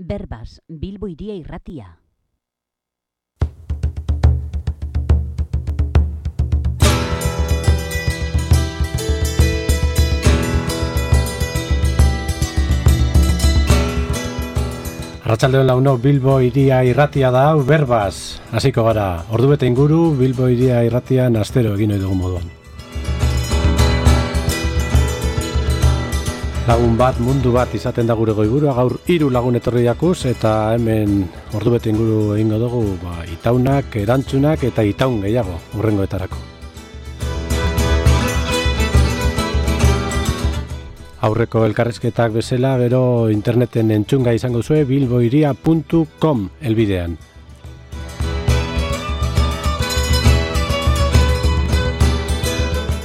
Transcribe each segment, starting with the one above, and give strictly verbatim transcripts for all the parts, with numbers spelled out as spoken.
Berbas, Bilbo Hiria Irratia. Arratsaldeon launo, Bilbo Hiria Irratia da hau, Berbas. Hasiko gara, ordubete inguru Bilbo Hiria Irratian astero egin ohi dugun moduan. Lagun bat, mundu bat izaten da gure goiburua, gaur hiru lagun etorri jakuz, eta hemen ordubete inguru egingo dugu ba, itaunak, erantzunak eta itaun gehiago hurrengoetarako. Aurreko elkarrizketak bezala, gero interneten entzunga izango zue bilbohiria puntu com elbidean.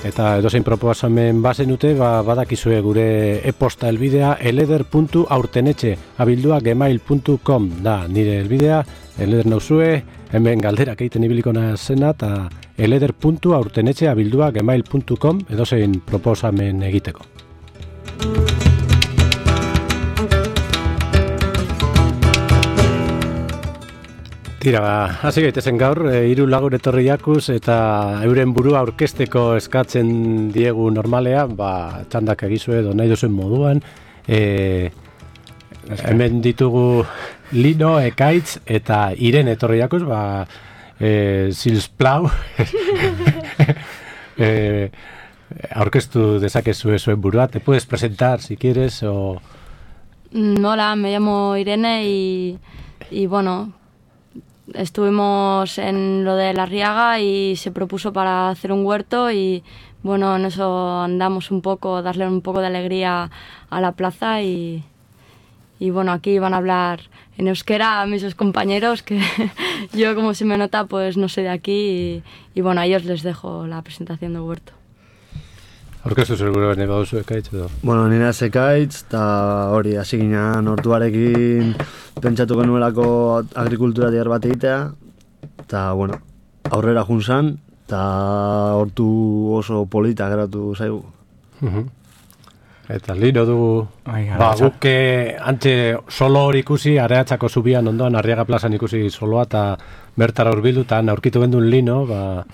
Eta edozein proposamen bazenute, ba, badakizue gure e-posta elbidea eleder puntu aurtenetxe abildua gmail puntu com da nire elbidea, eleder nauzue, hemen galderak egiten ibiliko nazena, eta eleder puntu aurtenetxe abildua gmail puntu com edozein proposamen egiteko. Tira, ba, hasi gaitezen gaur, e, hiru lagun etorri jakuz eta euren burua aurkezteko eskatzen diegu normalea, ba, txandak egizue edo nahi duzuen moduan. E, hemen ditugu Lino, Ekaitz eta Iren etorri jakuz, ba, e, zilsplau. e, aurkeztu dezakezue zuen burua, te puedes presentar si quieres o... Hola, me llamo Irene y, y bueno... Estuvimos en lo de La Riaga y se propuso para hacer un huerto y bueno, en eso andamos un poco, darle un poco de alegría a la plaza y, y bueno, aquí van a hablar en euskera a mis compañeros que yo, como se me nota, pues no soy de aquí y, y bueno, a ellos les dejo la presentación del huerto. Orkestu seguro bene baduzu Ekaitz edo? Bueno, nire Ekaitz, eta hori, hasi ginen hortuarekin pentsatu genuelako agrikultura diar bat egitea, eta, bueno, aurrera junzan, eta hortu oso polita geratu zaigu. Uh-huh. Eta Lino dugu, Ai, ba, guk antxe solo hori ikusi, Areatzako zubian ondoan, Arriaga plazan ikusi soloa, eta bertara hurbildu, eta aurkitu gendun Lino, ba,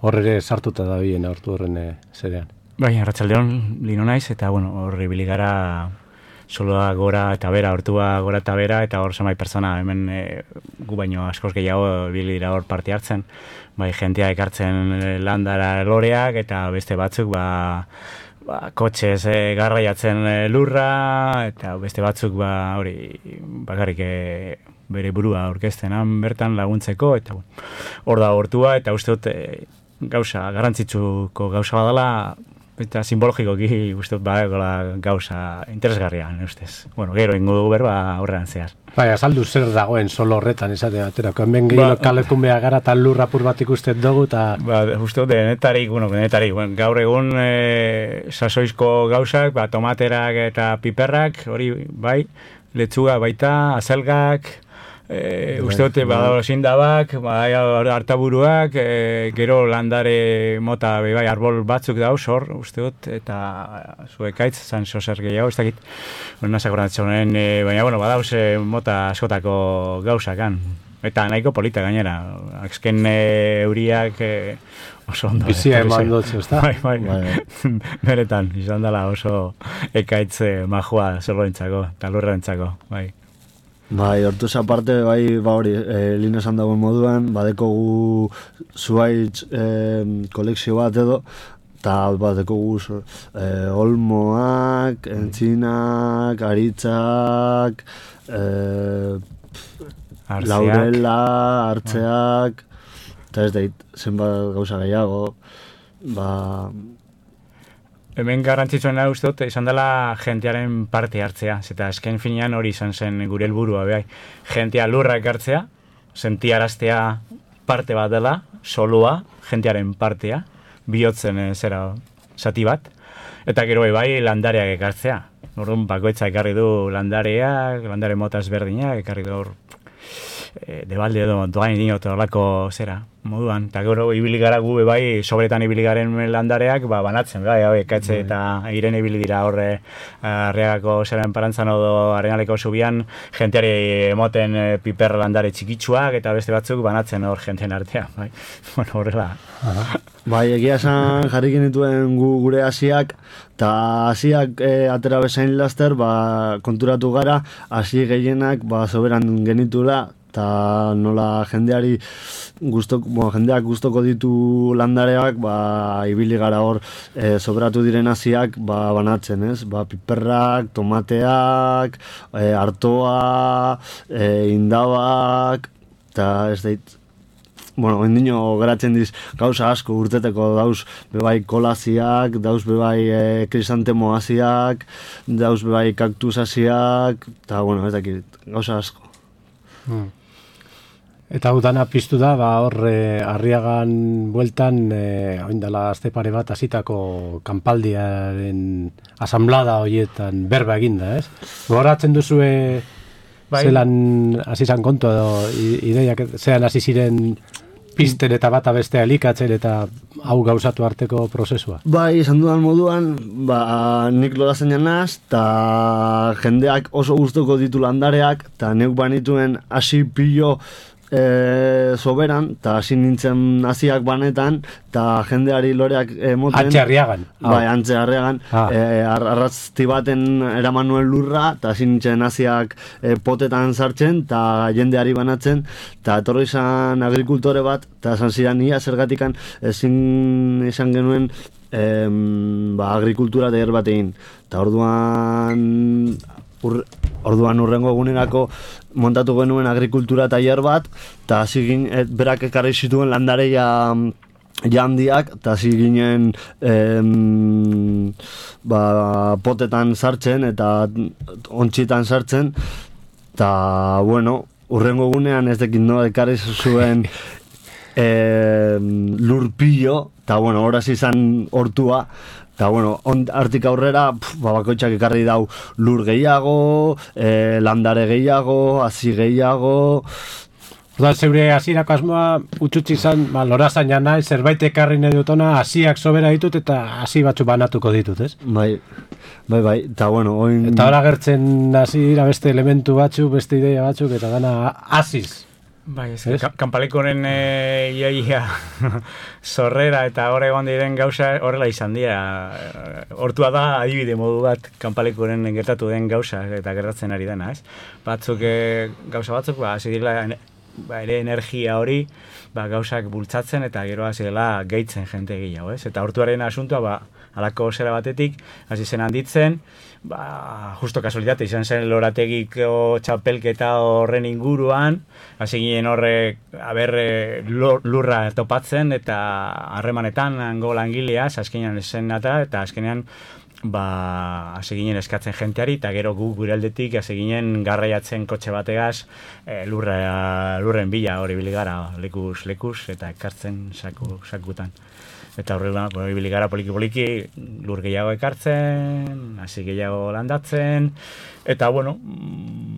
hor ere sartuta da bien aurtu horren zerean. Bai, arratsaldeon Lino naiz, eta bueno, hor ibili gara soloa gora eta bera, hortua gora eta bera, eta hor zenbait pertsona, hemen e, gu baino askoz gehiago ibili dira hor parte hartzen, bai, jentea ekartzen landara loreak, eta beste batzuk, ba, ba kotxez e, garraiatzen lurra, eta beste batzuk, ba, hori, bakarrik e, bere burua aurkezten han bertan laguntzeko, eta bueno, hor da hortua, eta uste dut e, gauza, garrantzitsuko gauza badala, eta simbologikoki uste dut badagoela gauza interesgarria, ustez. Bueno, gero ingo dugu berba aurrean zehar. Bai, azaldu zer dagoen solo horretan esate baterako. Hemen gehiago ba, kalekun behar gara eta lur apur bat ikusten dugu, eta... Ba, uste dut, denetarik, bueno, denetarik. Bueno, gaur egun e, sasoizko gauzak, ba, tomaterak eta piperrak, hori, bai, letzuga baita, azelgak... E, uste dute badago zindabak, bai, hartaburuak, e, gero landare mota bai, arbol batzuk dauz hor, uste dut, eta zuekaitz, zan sozer gehiago, ez dakit, nazak horatzen, e, baina, bueno, badauz e, mota askotako gauzakan, eta nahiko polita gainera, azken e, euriak e, oso ondo. Bizia eman dutze, ez da? Bai, bai, bai. Beretan, izan dela oso ekaitz e, majua zerroentzako, eta lurrentzako, bai. Bai, hortuz aparte, bai, ba hori, e, Lino esan dagoen moduan, badekogu zuaitz e, kolekzio bat edo, eta badekogu e, olmoak, entzinak, aritzak, e, laurela, hartzeak, eta ez dait, zenbat gauza gehiago, ba... Hemen garrantzitsuena uste dut, izan dela jentearen parte hartzea, eta esken finean hori izan zen gure helburua behai. Jentea lurrak hartzea, sentiaraztea parte bat dela, solua, jentearen partea, bihotzen zera zati bat, eta gero bai landareak ekartzea. Orduan bakoitza ekarri du landareak, landare mota ezberdinak, ekarri du hor e, debalde edo doain dinot horlako zera moduan, eta gero ibili gara gu bai sobretan ibili garen landareak ba, banatzen, bai, hau, ekatze eta iren ibili dira horre Arriagako zeren parantzan odo Arenaleko zubian jenteari emoten e, piper landare txikitsuak eta beste batzuk banatzen hor jenten artean, bai, bueno, horrela. Bai, egia esan jarri genituen gu, gure hasiak, eta hasiak e, atera bezain laster, ba, konturatu gara, hasi gehienak ba, soberan genitula, eta nola jendeari gustok, bueno, jendeak gustoko ditu landareak, ba, ibili gara hor e, soberatu diren hasiak ba, banatzen, ez? Ba, piperrak, tomateak, e, artoa, e, indabak, eta ez dait, bueno, endino geratzen diz gauza asko urteteko dauz bebai kolaziak, dauz bebai e, krisantemo hasiak, dauz bebai kaktus hasiak, eta bueno, ez dakit, gauza asko. Hmm. Eta hau dana piztu da, ba, hor e, Arriagan bueltan, e, oindala azte pare bat hasitako kanpaldiaren asamblada horietan berba eginda, ez? Goratzen duzue bai. Zelan hasi zan kontu edo ideiak, zelan hasi ziren pizten eta bata bestea elikatzen eta hau gauzatu arteko prozesua? Bai, esan dudan moduan, ba, nik lolazen janaz, eta jendeak oso gustoko ditu landareak, eta neuk banituen hasi pillo E, soberan, eta hasi nintzen hasiak banetan, eta jendeari loreak emoten. Antxe Arriagan. Bai, Antxe Arriagan. Ah. E, ar, arrazti baten eraman nuen lurra, eta hasi nintzen hasiak e, potetan sartzen, eta jendeari banatzen, eta etorri izan agrikultore bat, eta esan zidan ia zergatikan ezin izan genuen em, ba, agrikultura tailer bat egin. Eta orduan... Ur, orduan urrengo egunerako montatu genuen agrikultura tailer bat, eta hasi ginen, berak ekarri zituen landareia jandiak, eta hasi ginen em, ba, potetan sartzen eta ontxitan sartzen, eta bueno, urrengo egunean ez dekin no, ekarri zuen em, lurpillo, eta bueno, horaz izan hortua. Eta, bueno, artik aurrera, pf, bakoitzak ekarri dau lur gehiago, e, landare gehiago, hasi gehiago. Oda, zeure hasierako asmoa utxutzi izan, ba, lorazan jana, zerbait ekarri nahi dutona, hasiak sobera ditut eta hasi batzu banatuko ditut, ez? Bai, bai, bai, eta bueno, oin... Eta hora gertzen hasi dira beste elementu batzuk, beste ideia batzuk, eta gana hasiz. Bai, ez, es? Kanpalekoren e, iaia zorrera eta hor egon diren gauza horrela izan dira. Hortua da adibide modu bat kanpalekoren gertatu den gauza eta gertatzen ari dena, ez? Batzuk e, gauza batzuk, ba, hasi dira ba, ere energia hori ba, gauzak bultzatzen eta gero hasi dela gehitzen jente gehiago, ez? Eta hortuaren asuntua, ba, halako zera batetik, hasi zen handitzen, ba, justo kasualitate izan zen lorategiko txapelketa horren inguruan, hasi ginen horre, haber, lurra topatzen eta harremanetan hango langileaz, azkenean esen eta, eta azkenean ba, hasi ginen eskatzen jenteari, eta gero gu gure aldetik hasi ginen garraiatzen kotxe bategaz e, lurra, lurren bila hori biligara lekuz lekuz eta ekartzen saku, sakutan. Eta horrela, bueno, ibili gara poliki-poliki lur gehiago ekartzen, hasi gehiago landatzen, eta, bueno,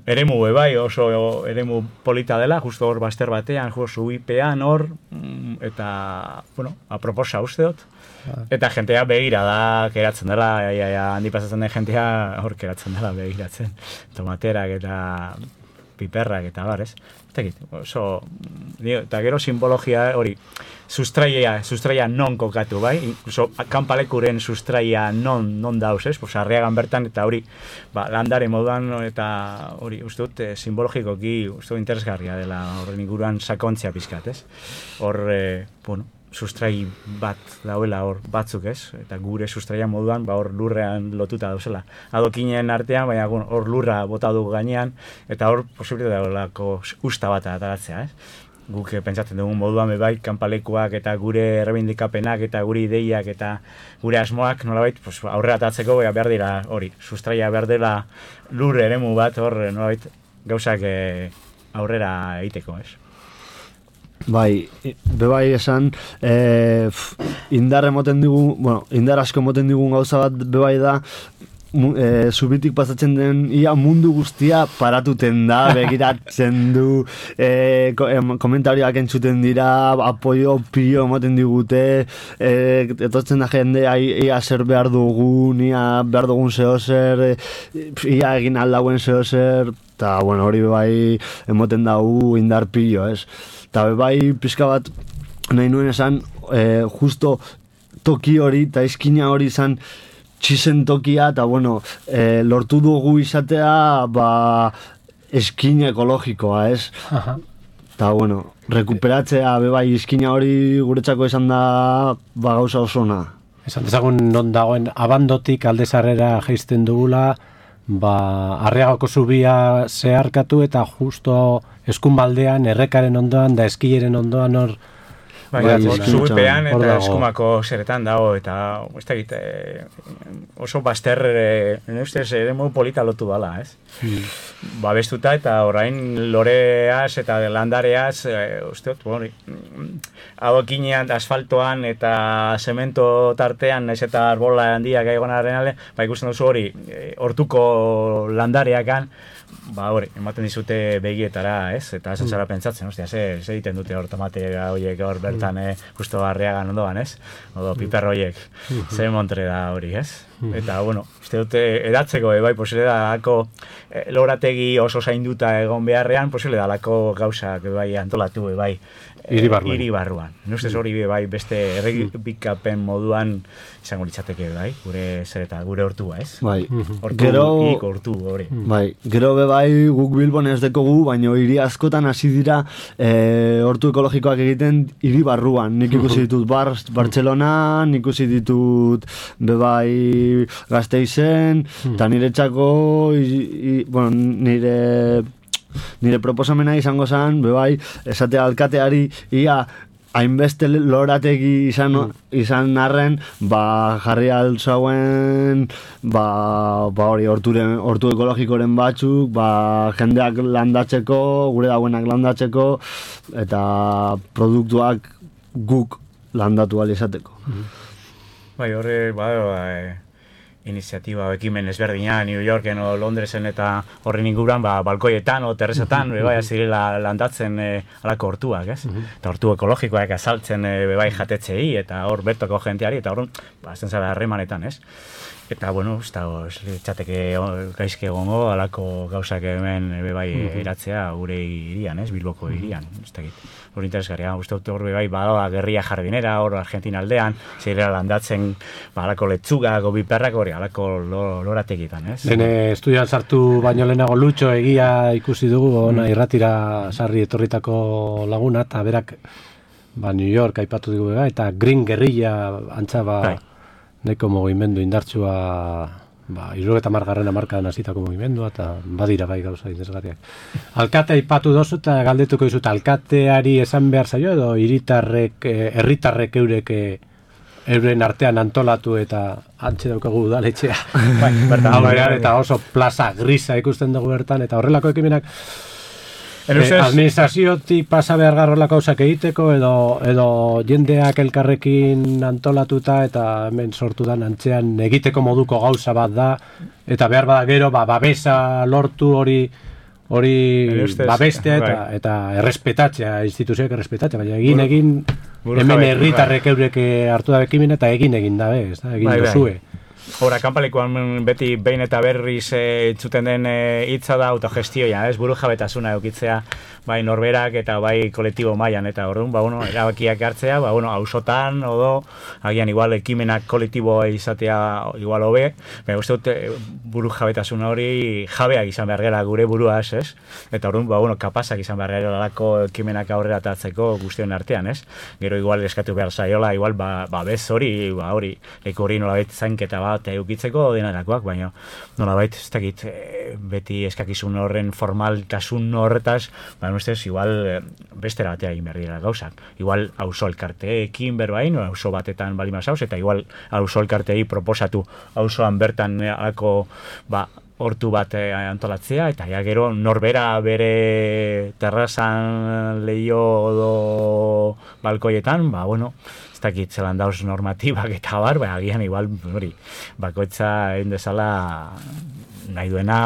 eremu bai, oso eremu polita dela, justo hor baster batean, justo uipean hor, eta, bueno, aproposa uste dut. Eta jentea begira da, keratzen dela, ja, ja, handi pasatzen den jentea hor keratzen dela begiratzen. Tomaterak eta piperrak eta bar, ez? Oso, eta gero simbologia hori, sustraia, sustraia non kokatu, bai? Incluso kanpalekuren sustraia non, non dauz, ez? Pues Arriagan bertan eta hori, ba, landare moduan eta hori, uste dut, eh, simbologikoki, uste dut interesgarria dela horren inguruan sakontzia pizkat, ez? Hor, eh, bueno, sustrai bat dauela hor batzuk, ez? Eta gure sustraia moduan, ba, hor lurrean lotuta dauzela. Adokinen artean, baina hor lurra bota du gainean, eta hor posibilitate daulako usta bat ataratzea, ez? Guk pentsatzen dugun moduan bai, kanpalekuak eta gure errebindikapenak eta gure ideiak eta gure asmoak nolabait pues, aurrera atatzeko behar dira hori, sustraia behar dela lur eremu bat hor nolabait gauzak eh, aurrera egiteko, ez? Bai, bebai esan, e, indar emoten digun, bueno, indar asko emoten digun gauza bat bebai da, e, zubitik pasatzen den ia mundu guztia paratuten da, begiratzen du, e, ko, e, komentarioak entzuten dira, apoio pio ematen digute, e, etortzen da jende, ia zer behar dugun, ia behar dugun zehozer, ia egin aldauen zehozer, eta, bueno, hori bai emoten dugu indar pilo, ez? Eta bai pizka bat nahi nuen esan, e, justo toki hori, eta eskina hori izan txizen tokia, eta bueno, e, lortu dugu izatea, ba, eskina ekologikoa, ez? Eta bueno, rekuperatzea, bebai, eskina hori guretzako esan da, ba, gauza osona. Esan dezagun non dagoen abandotik aldezarrera jaisten dugula, ba, Arriagako zubia zeharkatu eta justo eskumaldean, errekaren ondoan da eskileren ondoan hor. Bai, zubipean eta eskumako zeretan dago, eta ez da egite, oso baster, nire ustez, ere modu polita lotu dala, ez? Hmm. Ba, bestuta eta orain loreaz eta landareaz, e, usteot, bon, adokinean, asfaltoan eta zemento tartean, ez eta arbola handiak egonaren alde, ba, ikusten duzu hori, hortuko landareakan, ba, hori, ematen dizute begietara, ez? Eta esan zara pentsatzen, ostia, ze, ze egiten dute hor tomate horiek hor bertan, eh, justo Arriagan ondoan, ez? Odo, piper horiek, ze montre da hori, ez? Eta, bueno, uste dute edatzeko, e, bai, posible da lako e, lorategi oso zainduta egon beharrean, posible da lako gauzak, e, bai, antolatu, e, bai, hiri barruan. Hiri barruan. Nustez hori, bai, beste errepikapen moduan izango litzateke, bai, gure zer eta gure hortua, ez? Bai, hortu, gero... ik hortu, hori. Bai, gero be bai, guk Bilbon ez dekogu, baina hiri askotan hasi dira e, hortu ekologikoak egiten hiri barruan. Nik ikusi ditut Bar, Bartzelona, nik ikusi ditut be bai Gasteizen, eta nire txako, i, i, bueno, nire, nire proposamena izango zen, be bai, esatea alkateari, ia, hainbeste lorategi izan, izan arren, ba, jarri altzauen, ba, ba hori, horturen, hortu ekologikoren batzuk, ba, jendeak landatzeko, gure dauenak landatzeko, eta produktuak guk landatu ahal izateko. Bai, horre, ba, ba, iniziatiba, ekimen ezberdina, New Yorken o Londresen eta horren inguruan, ba, balkoietan o terrezetan, bebai, azirela landatzen e, alako hortuak, ez? Eta hortu ekologikoak azaltzen e, bebai jatetzei, eta hor bertoko jenteari, eta hor, ba, zen zara harremanetan, ez? Eta, bueno, ez da, txateke gaizke egongo, alako gauzak hemen bebai eratzea gure irian, ez? Bilboko irian, ez da egit. Hor interesgarria, uste dut hor bebai, bada gerria jardinera, hor Argentina aldean, zirela landatzen, ba, alako letzuga, gobiperrak hori, alako lorategitan, ez? Lehen estudian sartu baino lehenago Lutxo egia ikusi dugu, ona irratira sarri etorritako laguna, eta berak, ba, New York aipatu dugu bega, eta Green Guerrilla antza, ba, neko mugimendu indartsua, ba, irurogeta margarren amarkadan hasitako mugimendua, eta badira bai gauza interesgarriak. Alkate aipatu dozu, eta galdetuko dizut, alkateari esan behar zaio, edo hiritarrek, herritarrek eurek euren artean antolatu eta antxe daukagu udaletxea. Bai, bertan, eta oso plaza grisa ikusten dugu bertan, eta horrelako ekimenak Eh, administraziotik pasa behar garrolako gauzak egiteko edo, edo jendeak elkarrekin antolatuta eta hemen sortu da antzean egiteko moduko gauza bat da eta behar bada gero ba, babesa lortu hori hori babestea eta, eta errespetatzea, instituzioak errespetatzea, baina egin egin hemen herritarrek eurek hartu da ekimen eta egin egin dabe, ez da, egin dozue. Hora, kanpalekuan beti behin eta berriz entzuten den hitza da autogestioa, ez buru jabetasuna eukitzea, bai norberak eta bai kolektibo mailan eta orduan, ba, bueno, erabakiak hartzea, ba, bueno, auzotan, odo, agian igual ekimenak kolektiboa izatea igual hobe, baina uste dut buru jabetasuna hori jabeak izan behar gara gure buruaz, ez? Eta orduan, ba, bueno, kapazak izan behar gara lako ekimenak aurrera atatzeko guztion artean, ez? Gero igual eskatu behar zaiola, igual, ba, ba bez hori, ba, hori, leku hori nolabait zainketa bat eukitzeko denarakoak, baina nolabait, ez dakit, beti eskakizun horren formaltasun horretaz, baina ustez, igual bestera batea egin behar dira gauzak. Igual auzo elkarteekin berbain, auzo batetan bali mazauz, eta igual auzo elkarteei proposatu auzoan bertan alako, ba, hortu bat eh, antolatzea, eta ja gero norbera bere terrazan leio edo balkoietan, ba, bueno, ez dakit zelan dauz normatibak eta bar, ba, agian igual, hori, bakoitza egin dezala nahi duena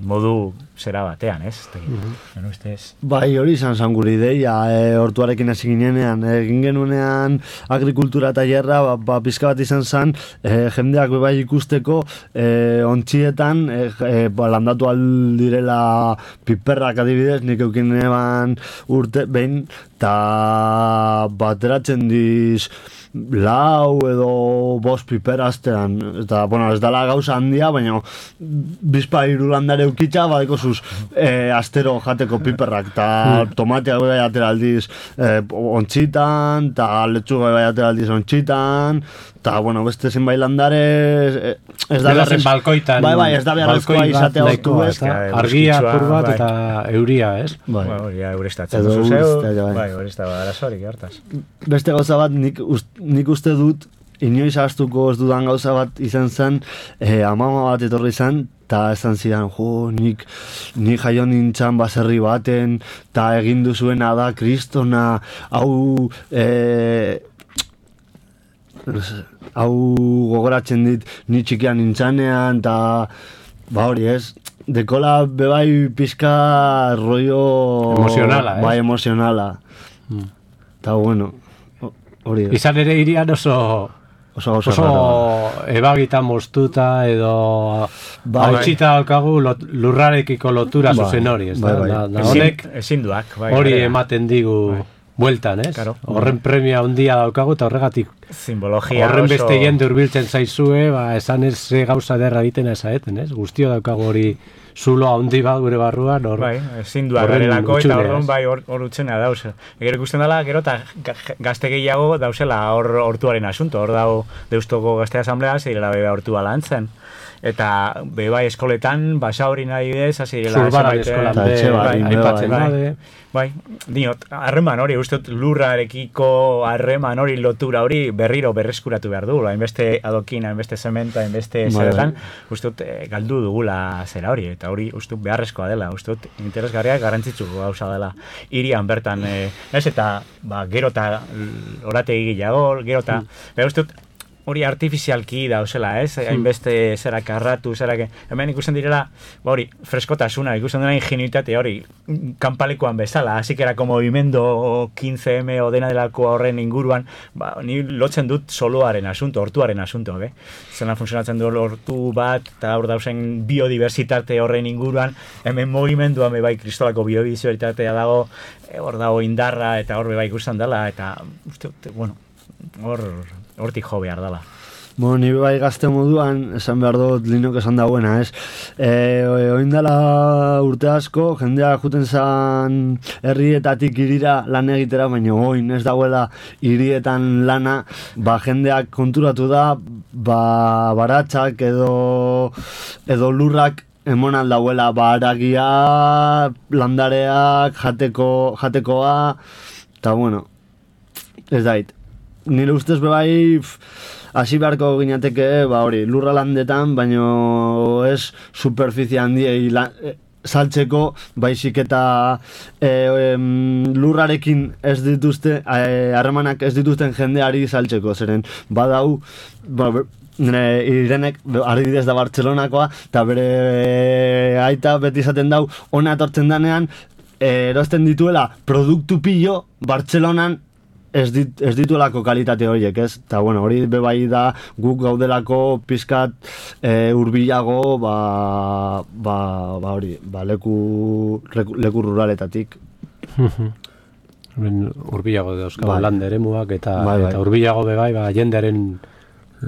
modu zera batean, ez? Mhm. Bai, hori izan zan gure ideia, e, hortuarekin hasi ginenean, egin genuenean agrikultura tailerra, ba, ba, pizka bat izan zan, e, jendeak bai ikusteko, e, ontxietan, e, e, ba, landatu aldirela piperrak adibidez, nik eukin eban urte, behin, eta bateratzen diz, lau edo bost piper astean, eta, bueno, ez dala gauza handia, baina bizpa hiru landare eukitza, badeko zuz e, astero jateko piperrak, eta tomateak bai atera aldiz e, ontxitan, eta letxuga bai atera aldiz ontxitan, eta, bueno, beste zenbait landare e, ez da beharrez, balkoitan, bai, bai, ez da beharrezkoa izatea hortu, ez? Argia apur bat eta euria, ez? Bai, ja, eurestatzen duzu zeu, bai, euresta bat arazorik hartaz. Beste gauza bat, nik, ust, nik uste dut, inoiz ahaztuko ez dudan gauza bat izan zen, eh, amama bat etorri zen, eta esan zidan, jo, nik, nik jaio nintzen baserri baten, eta egin duzuena da kristona, hau, eh, hau gogoratzen dit, ni txikian nintzanean, eta, ba hori ez, dekola bebai pizka rollo... Emozionala, bai, emozionala. Mm. Eta, bueno, hori ez. Izan ere irian oso... Oso, oso, oso ebagitan moztuta edo bai, hautxita daukagu lot, lurrarekiko lotura bai, zuzen hori, ez da? Bai, bai. Da, da honek ezinduak, bai, hori bai, ematen digu bai. Bueltan, ez? Claro. Horren premia handia daukagu eta horregatik simbologia horren oso... beste jende hurbiltzen zaizue, ba, esan ez gauza derra egiten ezaeten, ez? Guztio daukagu hori zulo handi bat gure barruan, hor... Bai, ezin duak garelako eta orduan bai hor utxena dauz. Gero ikusten dela, gero eta gazte gehiago dauzela hor hortuaren asunto, hor dau Deustoko Gazte Asamblea, zirela beba hortua lantzen. Eta beba eskoletan, basa hori nahi bidez, azirela... Zurbaran eskolan be, aipatzen dade... Bai, diot, harreman hori, uste lurrarekiko harreman hori, lotura hori berriro berreskuratu behar du, hainbeste adokin, hainbeste zementa, hainbeste zeretan, uste galdu dugula zera hori, eta hori uste beharrezkoa dela, uste interesgarriak garrantzitsuko gauza dela. Irian bertan, eh, ez eta ba, gero eta orategi gehiago, gero eta, mm. uste hori artifizialki dauzela, ez? Hainbeste zera karratu, zera... Hemen ikusten direla, ba hori, freskotasuna, ikusten dena ingenuitate hori, kanpalekuan bezala, así que era como movimiento quince eme o dena delako horren inguruan, ba, ni lotzen dut soloaren asunto, hortuaren asunto, be? Zena funtzionatzen du hortu bat, eta hor dauzen biodiversitate horren inguruan, hemen movimenduan be bai kristolako biodiversitatea dago, hor dago indarra, eta hor be bai ikusten dela, eta, uste, bueno, hor... hortik jo behar dela. Bueno, ni bai gazte moduan, esan behar dut Linok esan dagoena, ez? E, oin dela urte asko, jendea juten zan herrietatik irira lan egitera, baina oin ez dagoela hirietan lana, ba jendeak konturatu da, ba baratzak edo, edo lurrak emon aldauela, ba haragia, landareak, jateko, jatekoa, eta bueno, ez dait. Nire ustez bebai hasi beharko ginateke, ba hori, lurra landetan, baino ez superficie handiei e, saltzeko, baizik eta e, em, lurrarekin ez dituzte, harremanak ez dituzten jendeari saltzeko, zeren badau, ba, nire Irenek, adibidez da Bartzelonakoa, eta bere aita beti izaten dau, ona etortzen danean, e, erosten dituela produktu pillo Bartzelonan, Ez, dit, ez dituelako kalitate horiek, ez? Eta, bueno, hori bebai da guk gaudelako pizkat e, urbilago, ba, ba, ba hori, ba, leku, leku ruraletatik. Urbilago dauzkago bai. Lande eremuak eta, bai, bai. Eta urbilago bebai, ba, jendearen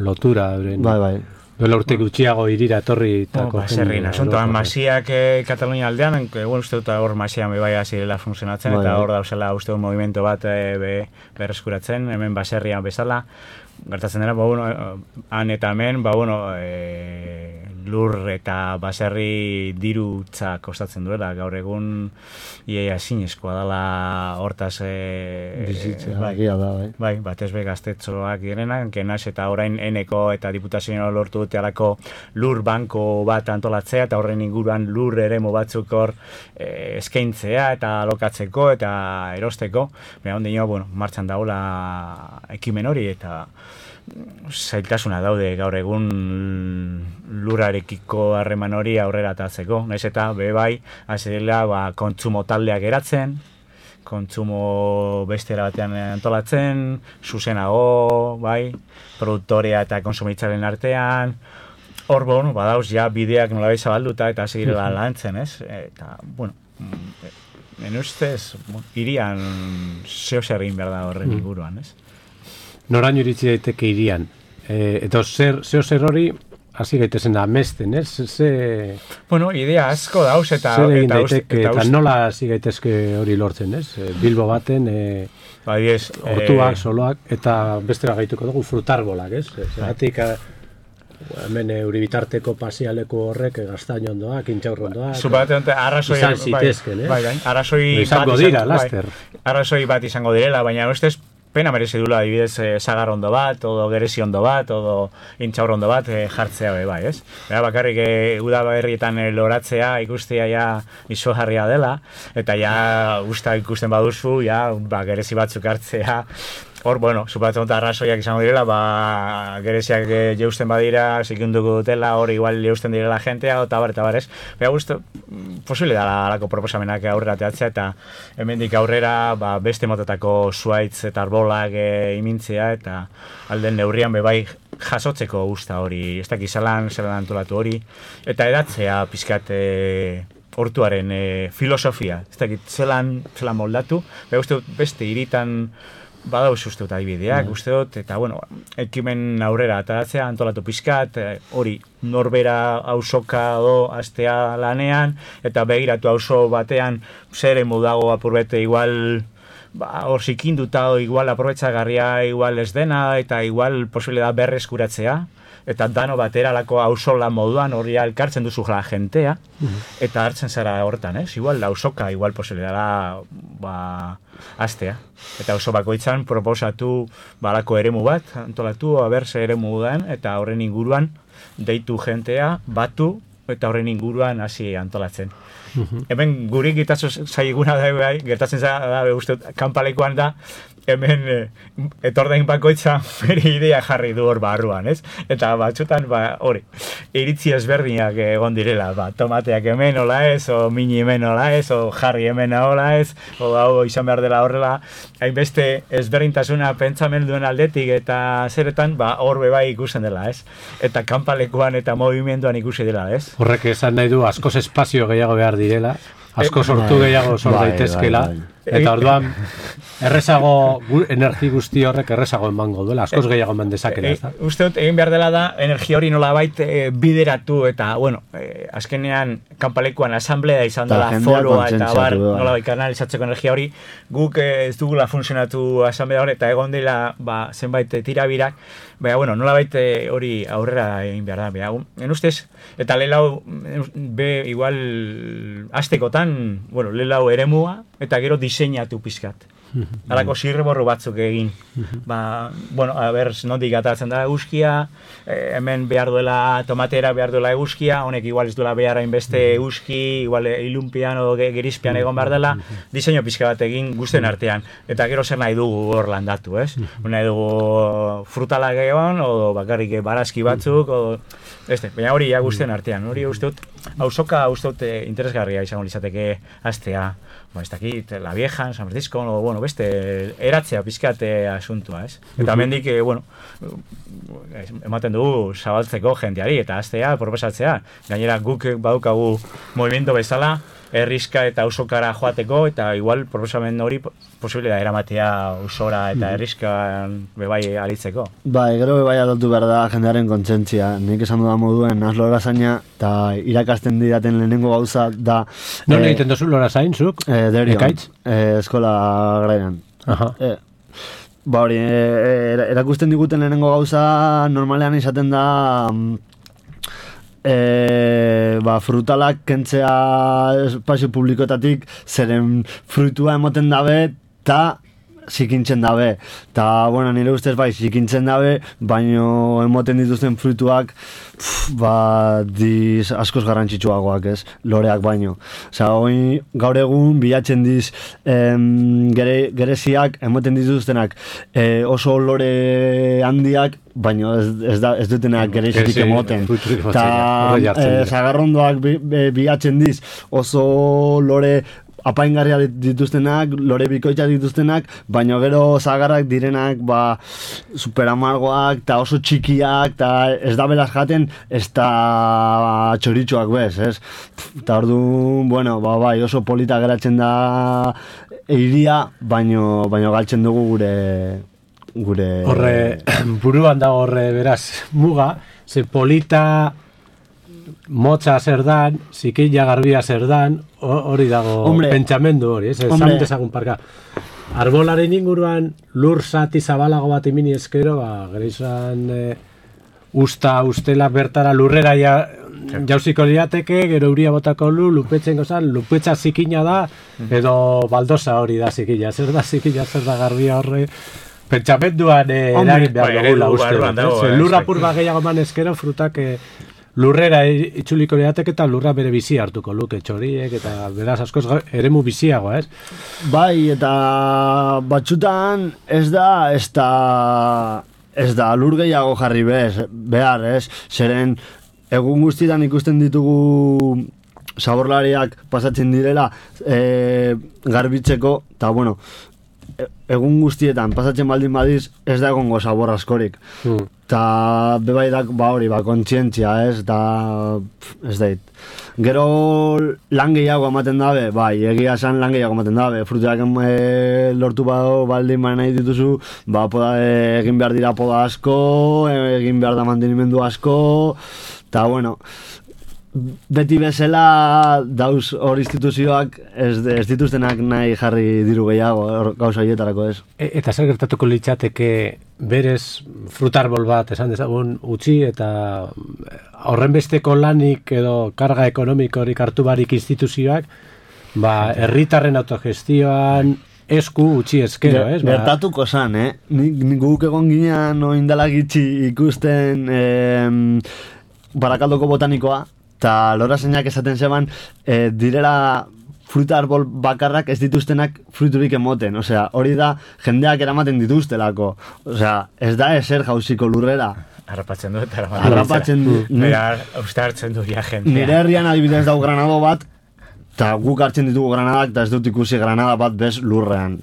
lotura. Euren, bai, bai. Duela urte gutxiago irira etorri eta... Oh, ba, zerrin, asuntoan, masiak eh, Katalunia aldean, egun uste dut hor masian bebai azirela funtzionatzen, bai, eta hor dauzela uste dut movimento bat eh, be, berreskuratzen, hemen baserrian bezala, gertatzen dena, ba, bueno, han eta hemen, ba, bueno, eh, lur eta baserri dirutza kostatzen duela, gaur egun iaia ezinezkoa dela hortaz e, bizitzea, bai, da, bai. Bai, batez be gaztetxoak direnak, genaz eta orain eneko eta diputazioa lortu dute alako lur banko bat antolatzea eta horren inguruan lur eremu batzuk hor e, eskaintzea eta alokatzeko eta erosteko, baina ondino, bueno, martxan daula ekimen hori eta zailtasuna daude gaur egun lurarekiko harreman hori aurrera atatzeko. Naiz eta be bai, azirela ba, kontsumo taldeak eratzen, kontsumo bestera batean antolatzen, zuzenago, bai, produktorea eta konsumitzaren artean, hor, bueno, badauz, ja, bideak nolabait zabalduta eta zirela lantzen, ez? Eta, bueno, en ustez, irian zeo zer egin behar da horren inguruan, ez? Noraino iritsi daiteke irian. E, eta zer, zeo zer hori, hasi gaitezen amesten, ez? Ze... Bueno, idea asko dauz eta... Zer egin eta, daiteke, eta, eta nola hasi gaitezke hori lortzen, ez? Bilbo baten, e, bai, ez, hortuak, e... soloak, eta bestera gaituko dugu frutarbolak, ez? Zeratik, hemen euribitarteko pasialeko horrek gaztaino ondoak, intxaur ondoak... Zupate, arrazoi... Izan zitezken, eh? Bai, bai, arrazoi... Izango dira, laster. Bai, arrazoi bat izango direla, baina ustez pena merezi dula, adibidez, eh, sagar ondo bat, odo gerezi ondo bat, odo intxaur ondo bat eh, jartzea be bai, ez? Bera, bakarrik eh, udaberrietan eh, loratzea ikustea ja izugarria dela, eta ja usta ikusten baduzu, ja, ba, gerezi batzuk hartzea, hor, bueno, supatzen dut arrazoiak izango direla, ba, gereziak e, jeusten badira, zikunduko dutela, hor igual jeusten direla jentea, eta bar, eta bar, ez? Bera, guztu, posible da alako proposamenak aurrera teatzea, eta hemendik aurrera, ba, beste motatako zuaitz eta arbolak e, imintzea, eta alden neurrian bebai jasotzeko usta hori, ez dakiz zelan, zelan antolatu hori, eta edatzea pizkat e, hortuaren e, filosofia, ez dakit zelan, zelan moldatu, bera, guztu, beste iritan badauz uste dut adibideak, mm. uste dut, eta bueno, ekimen aurrera ataratzea, antolatu pizkat, hori norbera ausoka do astea lanean, eta begiratu auzo batean zer emu dago apurbete igual, ba, hor zikinduta, igual aprobetxagarria igual ez dena, eta igual posible da berreskuratzea, eta dano batera lako auzola moduan hori elkartzen duzu la jentea, mm-hmm. eta hartzen zara hortan, ez? Igual auzoka, igual posible dela, ba, astea. Eta auzo bakoitzan proposatu balako eremu bat, antolatu, aberse eremu den, eta horren inguruan deitu jentea, batu, eta horren inguruan hasi antolatzen. Mm-hmm. Hemen gurik gitazo zaiguna da, bai, gertatzen da, uste, kanpalekoan da, hemen e, etordain bakoitza bere idea jarri du hor barruan, ez? Eta batzutan, ba, hori, iritzi ezberdinak egon direla, ba, tomateak hemen hola ez, o mini hemen hola ez, o jarri hemen hola ez, o hau izan behar dela horrela, hainbeste ezberdintasuna pentsamen duen aldetik eta zeretan, ba, hor bebai ikusten dela, ez? Eta kanpalekuan eta movimenduan ikusi dela, ez? Horrek esan nahi du, askoz espazio gehiago behar direla, asko sortu gehiago sor daitezkela, eta orduan errezago, energi guzti horrek errezago emango duela, askoz gehiago eman dezakela. E, e, uste dut, egin behar dela da, energia hori nolabait e, bideratu, eta, bueno, e, azkenean, kanpalekuan asamblea izan dela, foroa, eta bar, nolabait kanalizatzeko energia hori, guk e, ez dugula funtzionatu asamblea hori, eta egon dela, ba, zenbait tirabirak, baina, bueno, nolabait hori aurrera egin behar da, baina, en ustez, eta lehelau, be, igual, aztekotan, bueno, lehelau eremua, eta gero diseinatu pizkat. Halako zirriborru batzuk egin. Ba, bueno, a ber, nondik atatzen da eguzkia, eh, hemen behar duela tomatera, behar duela eguzkia, honek igual ez duela behar hainbeste eguzki, igual ilunpian o gerizpian egon behar dela, diseinu pizka bat egin guztien artean. Eta gero zer nahi dugu hor landatu, ez? Nahi dugu frutalak egon, o bakarrik barazki batzuk, o... Este, baina hori ja guztien artean, hori uste dut, auzoka uste dut interesgarria izango litzateke astea, ba, ez dakit, La Vieja, San Francisco, o, bueno, beste, eratzea pizkate asuntua, ez? Eta mendik, eh, bueno, ematen dugu zabaltzeko jendeari, eta astea, proposatzea, gainera guk badukagu movimiento bezala, herrizka eta auzokara joateko, eta igual proposamen hori posible da eramatea auzora eta herrizkan bebai alitzeko. Bai, gero bebai adaltu behar da jendearen kontsentzia. Nik esan dudan moduen, naz lorazaina, eta irakasten didaten lehenengo gauza da... Non eh, egiten dozu lorazain, zuk? Eh, Derion, eh, eskola grainan. Aha. Eh, ba hori, eh, erakusten diguten lehenengo gauza normalean izaten da... e, ba, frutalak kentzea espazio publikoetatik, zeren fruitua emoten dabe, eta zikintzen dabe. Ta, bueno, nire ustez bai, zikintzen dabe, baino emoten dituzten fruituak, pff, ba, diz askoz garrantzitsuagoak, ez? Loreak baino. Osa, hoi, gaur egun, bilatzen diz, em, gere, gereziak, emoten dituztenak, e, oso lore handiak, baino ez, ez, da, ez dutenak gerezitik emoten. Ta, e, zagarrondoak bi, bi, bilatzen diz, oso lore apaingarria dituztenak, lore bikoitza dituztenak, baina gero zagarrak direnak ba, superamargoak eta oso txikiak eta ez da belas jaten ez da txoritxoak bez, ez? Eta orduan, bueno, ba, bai, oso polita geratzen da eiria, baino, baino galtzen dugu gure gure... Horre, buruan da horre, beraz, muga, ze polita motza zer dan, zikila garbia zer dan, hori dago hombre, pentsamendu hori, ez? Esan dezagun parka. Arbolaren inguruan lur zati zabalago bat imini eskero, ba, gero izan e, usta, ustela bertara lurrera ja, jauziko liateke, gero uria botako lu, lupetzen gozan, lupetza zikina da, edo baldosa hori da zikila. Zer da zikila, zer da garbia horre, pentsamenduan e, eragin behar dugula uste. Lurra purba gehiago man eskero, frutak... E, lurrera itzuliko liateke eta lurra bere bizi hartuko luke txoriek eta beraz askoz eremu biziagoa, ez? Bai, eta batzutan ez da ez da ez da lur gehiago jarri bez, behar, ez? Zeren egun guztietan ikusten ditugu zaborlariak pasatzen direla e, garbitzeko, eta bueno, egun guztietan pasatzen baldin badiz ez da egongo zabor askorik. Mm. Ta bebai da, ba hori, ba, kontzientzia, ez, da, ez dait. Gero lan gehiago ematen dabe, bai, egia esan lan gehiago ematen dabe, fruteak e, lortu bado baldin ba nahi dituzu, ba, poda, e, egin behar dira poda asko, egin behar da mantenimendu asko, eta, bueno, beti bezala dauz hor instituzioak ez, ez dituztenak nahi jarri diru gehiago gauza hietarako ez. E, eta zer gertatuko litzateke berez frutarbol bat esan dezagun utzi eta horrenbesteko lanik edo karga ekonomikorik hartu barik instituzioak ba herritarren autogestioan esku utzi eskero, ez? Gertatuko zan, eh? Nik guk egon ginean oindala gitxi ikusten eh, Barakaldoko botanikoa eta lora zeinak esaten zeban, e, direla fruta arbol bakarrak ez dituztenak fruiturik emoten. Osea, hori da jendeak eramaten dituztelako. Osea, ez da ezer jauziko lurrera. Harrapatzen du eta eramaten. Harrapatzen du. Bera, uste hartzen du ja jendea. Nire herrian adibidez dau granado bat, eta guk hartzen ditugu granadak, eta ez dut ikusi granada bat bez lurrean.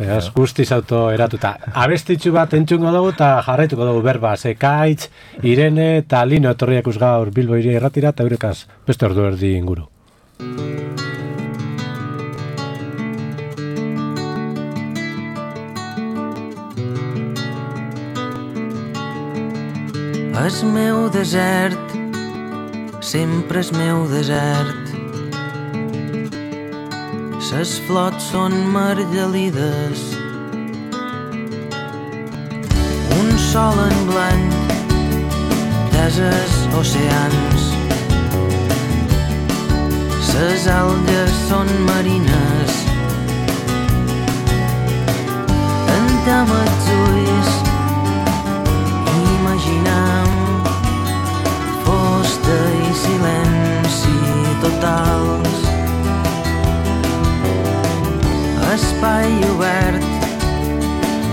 Beraz, guztiz auto eratuta. Abestitxu bat entzungo dugu eta jarraituko dugu berba. Zekaitz, Irene eta Lino etorriak gaur Bilbo Iria Irratira eta eurekaz beste ordu erdi inguru. És meu desert, sempre és meu desert. Ses flots són margelides, un sol en blanc, deses oceans. Ses algues són marines, tancam els ulls, imaginem fusta i silenci totals. Espai obert,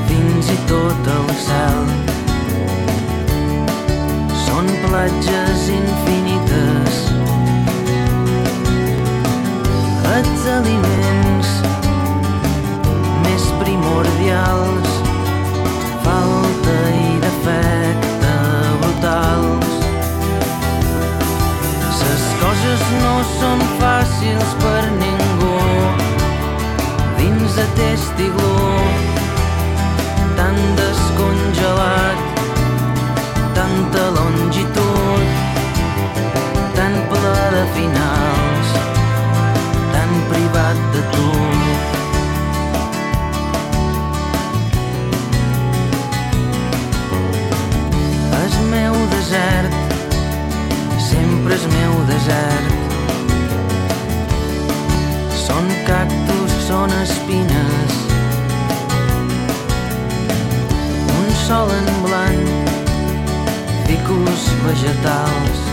fins i tot el cel. Són platges infinites, els aliments més primordials, falta i defecte brutals. Ses coses no són fàcils per ningú, dins aquest iglú tan descongelat, tanta longitud, tan ple de finals, tan privat de tu. El meu desert són espines, un sol en blanc, ficus vegetals.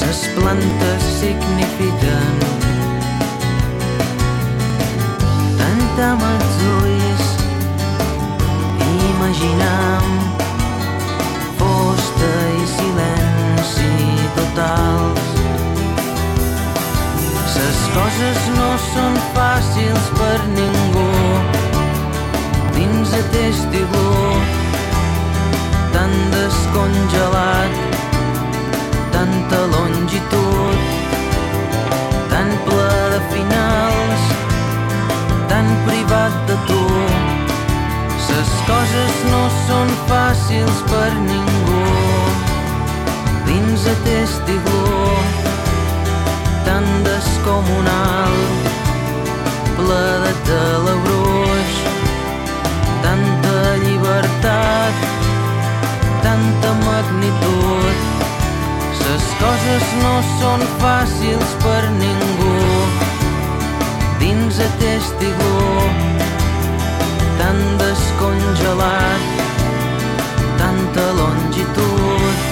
Les plantes signifiquen tant amb els ulls, imaginam fosta i silenci totals. Les coses no són fàcils per ningú dins aquest iglú tan descongelat, tanta longitud, tan ple de finals, tan privat de tu. Les coses no són fàcils per ningú dins aquest iglú tan descomunal, ple de telebruix, tanta llibertat, tanta magnitud. Les coses no són fàcils per ningú dins aquest iglú tan descongelat, tanta longitud,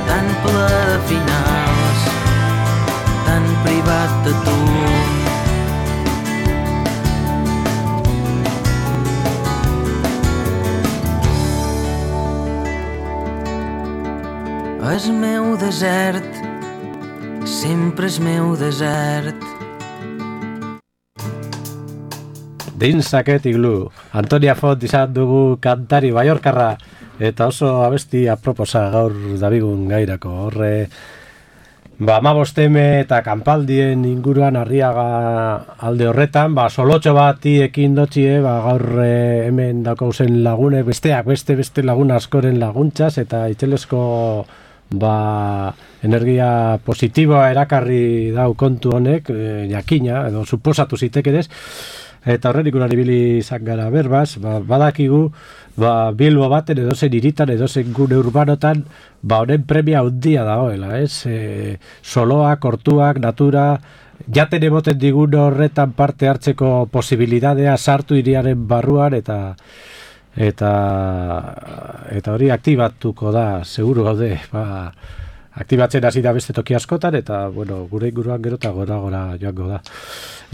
tan ple de finals, tan privat de tu. És meu desert, sempre és meu desert. Dins aquest iglu, Antonia Font izan dugu kantari baiorkarra, eta oso abesti aproposa gaur dabigun gairako. Horre, ba, amabosteme eta kanpaldien inguruan Arriaga alde horretan, ba, solotxo bati ekin dotxie, ba, gaur hemen dakauzen lagunek, besteak, beste, beste lagun askoren laguntzaz, eta itxelesko ba, energia positiboa erakarri dau kontu honek, e, jakina, edo suposatu zitekedez, eta horren ikunan ibili izan gara berbaz, ba, badakigu, ba, Bilbo baten edozen hiritan, edozen gune urbanotan, ba, honen premia handia dagoela, ez? E, soloak, hortuak, natura, jaten emoten digun horretan parte hartzeko posibilidadea sartu hiriaren barruan, eta eta eta hori aktibatuko da, seguru gaude, ba, aktibatzen hasi da beste toki askotan, eta bueno, gure inguruan gero eta gora gora joango da.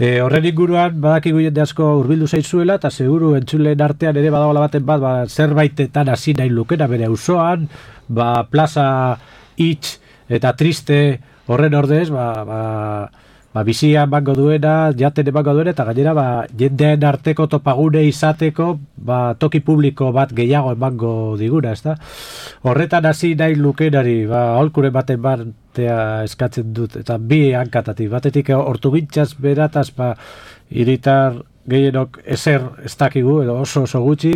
E, horren inguruan badakigu jende asko hurbildu zaizuela, eta seguru entzulen artean ere badagoela baten bat, ba, zerbaitetan hasi nahi lukena bere auzoan, ba, plaza hitz eta triste horren ordez, ba, ba, ba, bizia emango duena, jaten emango duena, eta gainera ba, jendeen arteko topagune izateko ba, toki publiko bat gehiago emango diguna, ezta? Horretan hasi nahi lukenari, ba, aholkure baten batea eskatzen dut, eta bi hankatatik, batetik ortugintzaz berataz, ba, hiritar gehienok ezer ez dakigu, edo oso oso gutxi,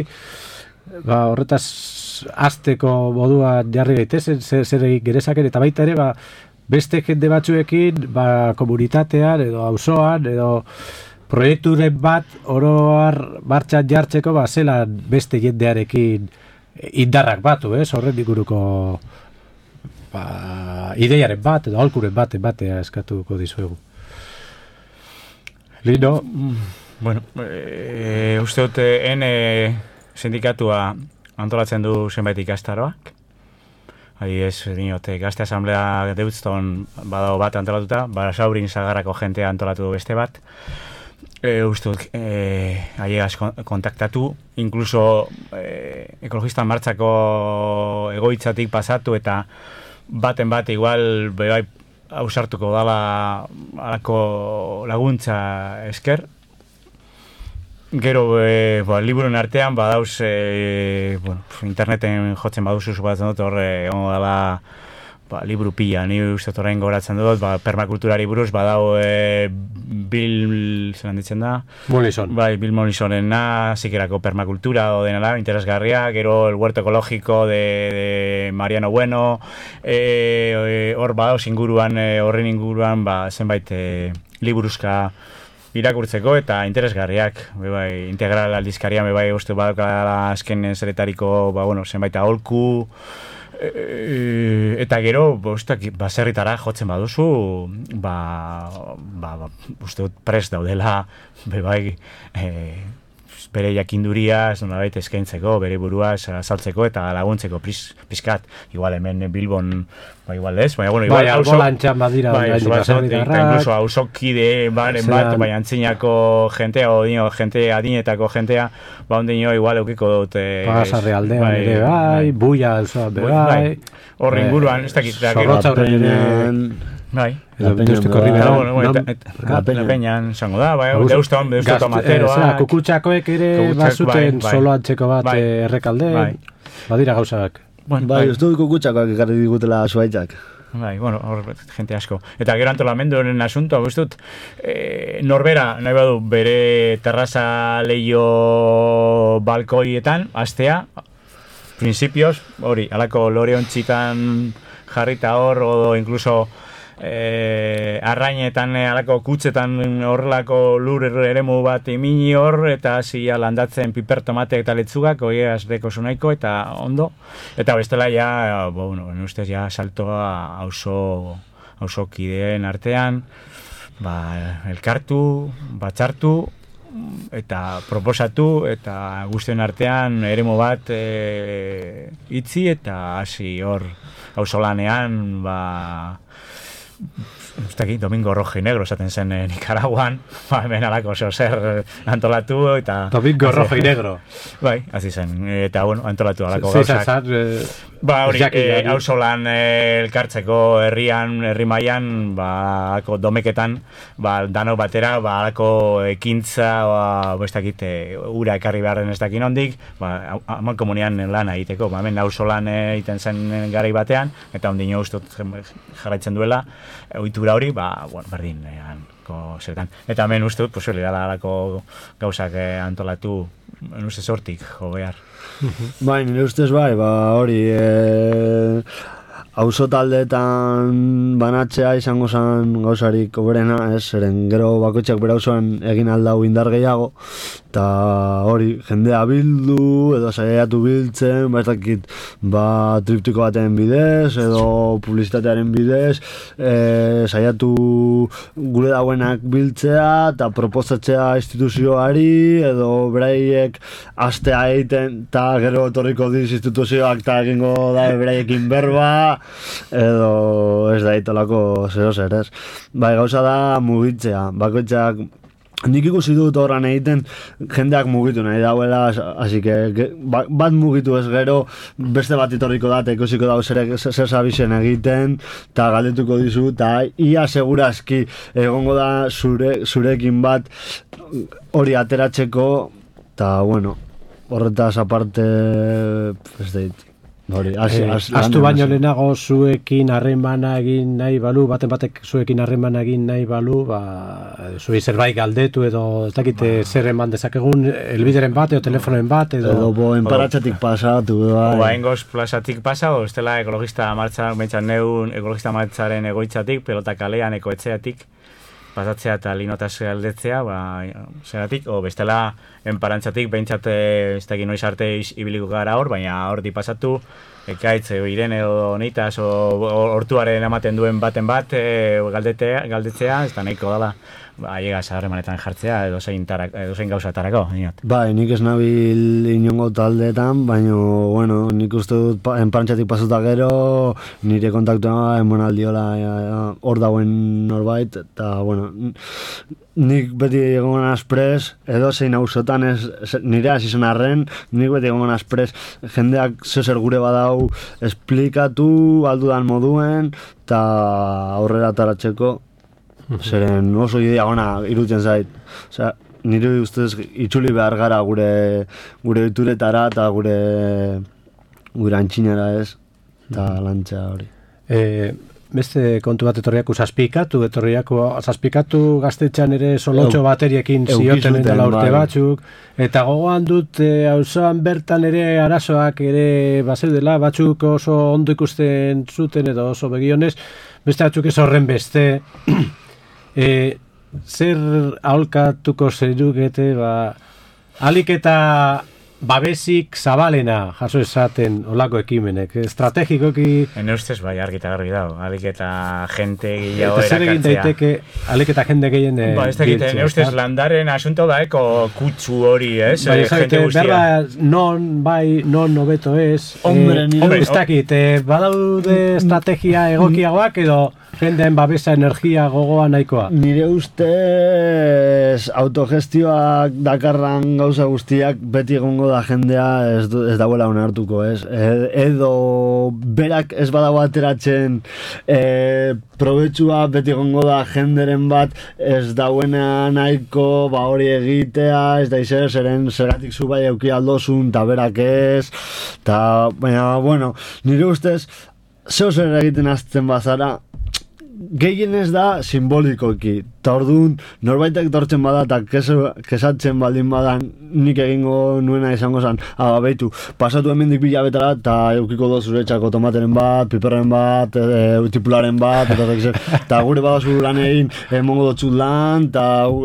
ba, horretaz hasteko moduan jarri gaitezen, zer egin gerezaken, eta baita ere, ba, beste jende batzuekin, ba, komunitatean, edo auzoan, edo proiekturen bat oroar martxan jartzeko, ba, zelan beste jendearekin indarrak batu, ez? Horren inguruko ba, ideiaren bat, edo aholkuren bat, batea eskatuko dizuegu. Lino? Bueno, e, uste dut, ene sindikatua antolatzen du zenbait ikastaroak. Ari ez, dinote, gazte asamblea deutzton badago bat antolatuta, Basaurin Sagarrako jentea antolatu du beste bat. E, uste dut, e, aiegaz kontaktatu, inkluso e, ekologista martxako egoitzatik pasatu, eta baten bat igual bebai ausartuko dala alako laguntza esker. Gero, e, ba, liburuen artean, badauz, e, bueno, interneten jotzen baduzu zupatzen dut, horre, ongo dela, ba, liburu pila, ni uste horrein goratzen dut, ba, permakulturari buruz, badau, e, Bill, zelan ditzen da? Mollison. Bai, Bill Mollisonena, zikerako permakultura, o denala, interesgarria, gero el huerto ekologiko de, de Mariano Bueno, e, hor e, badauz inguruan, horren e, inguruan, ba, zenbait, e, liburuzka, irakurtzeko eta interesgarriak, bai, integral aldizkarian bai uste badakala azken zeretariko, ba bueno, zenbait aholku, E, eta gero, bostak, baserritara jotzen baduzu, ba, ba, ba uste dut prest daudela, bebai, e, bere jakinduria, ez nolabait eskaintzeko, bere burua azaltzeko eta laguntzeko pis, pizkat. Igual hemen Bilbon, ba igual ez, baina bueno, igual bai, albolantxan badira, bai, incluso hausokide baren bat, bai, antzinako jentea, o dino, jente adinetako jentea, ba ondino igual eukiko dut. Pasarre aldean bai, ere bai, buia alzoa be bai. Horre inguruan, ez dakit. Zorrotza horre ere. Bai. Edo binduzteko ribera. La peñan, zango da, bai, deuston, deuston tomateroa. Kukutxakoek ere bazuten solo antzeko bat errekalde. Badira gauzak. Bai, uste dut kukutxakoak ekarri digutela zuaitzak. Bai, bueno, hor gente asko. Eta gero antolamenduaren asuntoa, uste dut, e, norbera, nahi badu, bere terraza leio balkoietan, astea, principios, hori, alako loreontxitan jarrita hor, o incluso e, arrainetan, alako kutzetan horrelako lur eremu bat imini hor, eta hasi landatzen piper, tomate eta letzugak, hoi azreko zunaiko, eta ondo. Eta bestela ja, bueno, ustez ja saltoa auzo, auzo kideen artean, ba, elkartu, batxartu, eta proposatu, eta guztien artean eremu bat e, itzi, eta hasi hor auzolanean, ba, Ustaki, Domingo Rojo y Negro esaten zen eh, Nicaraguan, ba, hemen alako oso zer antolatu eta... Domingo Rojo y Negro. Bai, hazi zen, eta bueno, antolatu alako gauzak. Zizar, eh, ba, hori, eh, hauzolan eh, elkartzeko herrian, herri mailan, ba, alako domeketan, ba, dano batera, ba, alako ekintza, ba, bestakit, eh, ura ekarri beharren ez dakin ondik, ba, amal komunian lan egiteko, ba, hemen hauzolan egiten zen garai batean, eta ondino ustot jarraitzen duela, ohitura hori, ba, bueno, berdin, eanko zertan. Eta hemen uste dut, posible, dala alako gauzak eh, antolatu, uste sortik, jo behar. Bai, nire ustez bai, ba, hori, eh, auzo taldeetan banatzea izango zen gauzarik oberena, ez, zeren gero bakoitzak bera auzoan egin aldau indar gehiago, eta hori, jendea bildu, edo saiatu biltzen, ba ez dakit, ba triptiko baten bidez, edo publizitatearen bidez, e, saiatu gure dauenak biltzea, eta proposatzea instituzioari, edo beraiek astea egiten, eta gero etorriko diz instituzioak, eta egingo da beraiekin berba, edo ez da itolako zero zer, ez. Bai, gauza da mugitzea, bakoitzak nik ikusi dut horran egiten jendeak mugitu nahi dauela, así que bat mugitu ez gero beste bat itorriko da, eta ikusiko dago zer zabisen egiten, eta galdetuko dizu, eta ia segurazki egongo da zure, zurekin bat hori ateratzeko, eta bueno, horretaz aparte ez deit. Hori, eh, astu baino lehenago zuekin harremana egin nahi balu, baten batek zuekin harremana egin nahi balu, ba, zuei zerbait galdetu edo ez dakite ba. Zer eman dezakegun, elbideren bat edo telefonen bat edo... Edo bo enparatxatik pasatu. Bai. Oa engoz plazatik pasa, o estela ekologista martza, bentsat neun ekologista martzaren egoitzatik, pelota kalean ekoetxeatik, pasatzea eta linotaz galdetzea, ba, zeratik, o bestela enparantzatik, bentsat ez da noiz arte ibiliko gara hor, baina hor di pasatu, ekaitz, e, irene edo neitas, o hortuaren ematen duen baten bat, e, galdetea, galdetzea, ez da nahiko dala, ba, llegaz harremanetan jartzea, edo zein, tarak, edo zein gauzatarako. Inot. Bai, nik ez nabil inongo taldeetan, baina, bueno, nik uste dut enparantzatik pasuta gero, nire kontaktua emonaldiola hor dauen norbait, eta, bueno, nik beti egon azprez, edo zein hausotan ez, nire hasi zen arren, nik beti egon azprez, jendeak zezer gure badau esplikatu, aldudan moduen, eta aurrera taratzeko, zeren oso idea ona irutzen zait. Osea, nire ustez itzuli behar gara gure gure ituretara eta gure gure antxinara ez, eta lantza hori. Eh, beste kontu bat etorriaku zazpikatu, etorriaku zazpikatu gaztetxan ere solotxo bateriekin zioten dela urte batzuk, eta gogoan dut auzoan bertan ere arazoak ere bazeudela, batzuk oso ondo ikusten zuten edo oso begionez, beste batzuk ez horren beste, e, zer aholkatuko zerukete, ba, alik eta babesik zabalena jaso esaten olako ekimenek, estrategikoki... Ene ustez bai, argita garbi dago, alik eta jente gehiago erakartzea. Eta zer egin daiteke, alik eta jende gehien ba, ez dakit, ene ustez landaren asunto da, eko kutsu hori, ez? Bai, ez dakit, berba, non, bai, non nobeto ez. Hombre, eh, ez dakit, eh, badaude estrategia egokiagoak edo jendeen babesa energia gogoa nahikoa. Nire ustez autogestioak dakarran gauza guztiak beti egongo da jendea ez, ez dauela onartuko, ez? E, edo berak ez badago ateratzen e, probetxua beti egongo da jenderen bat ez dauena nahiko ba hori egitea, ez da izer, zeren zeratik zu bai euki aldozun, eta berak ez, eta baina, bueno, nire ustez zeo zer egiten azten bazara, gehien ez da simbolikoki, eta orduan norbaitek tortzen bada eta kesatzen baldin badan nik egingo nuena izango zen, ah, behitu, pasatu hemendik bila betara eta eukiko do zuretxako tomateren bat, piperren bat, e, tipularen bat, eta, eta gure badazu lan egin, emongo dutxut lan, eta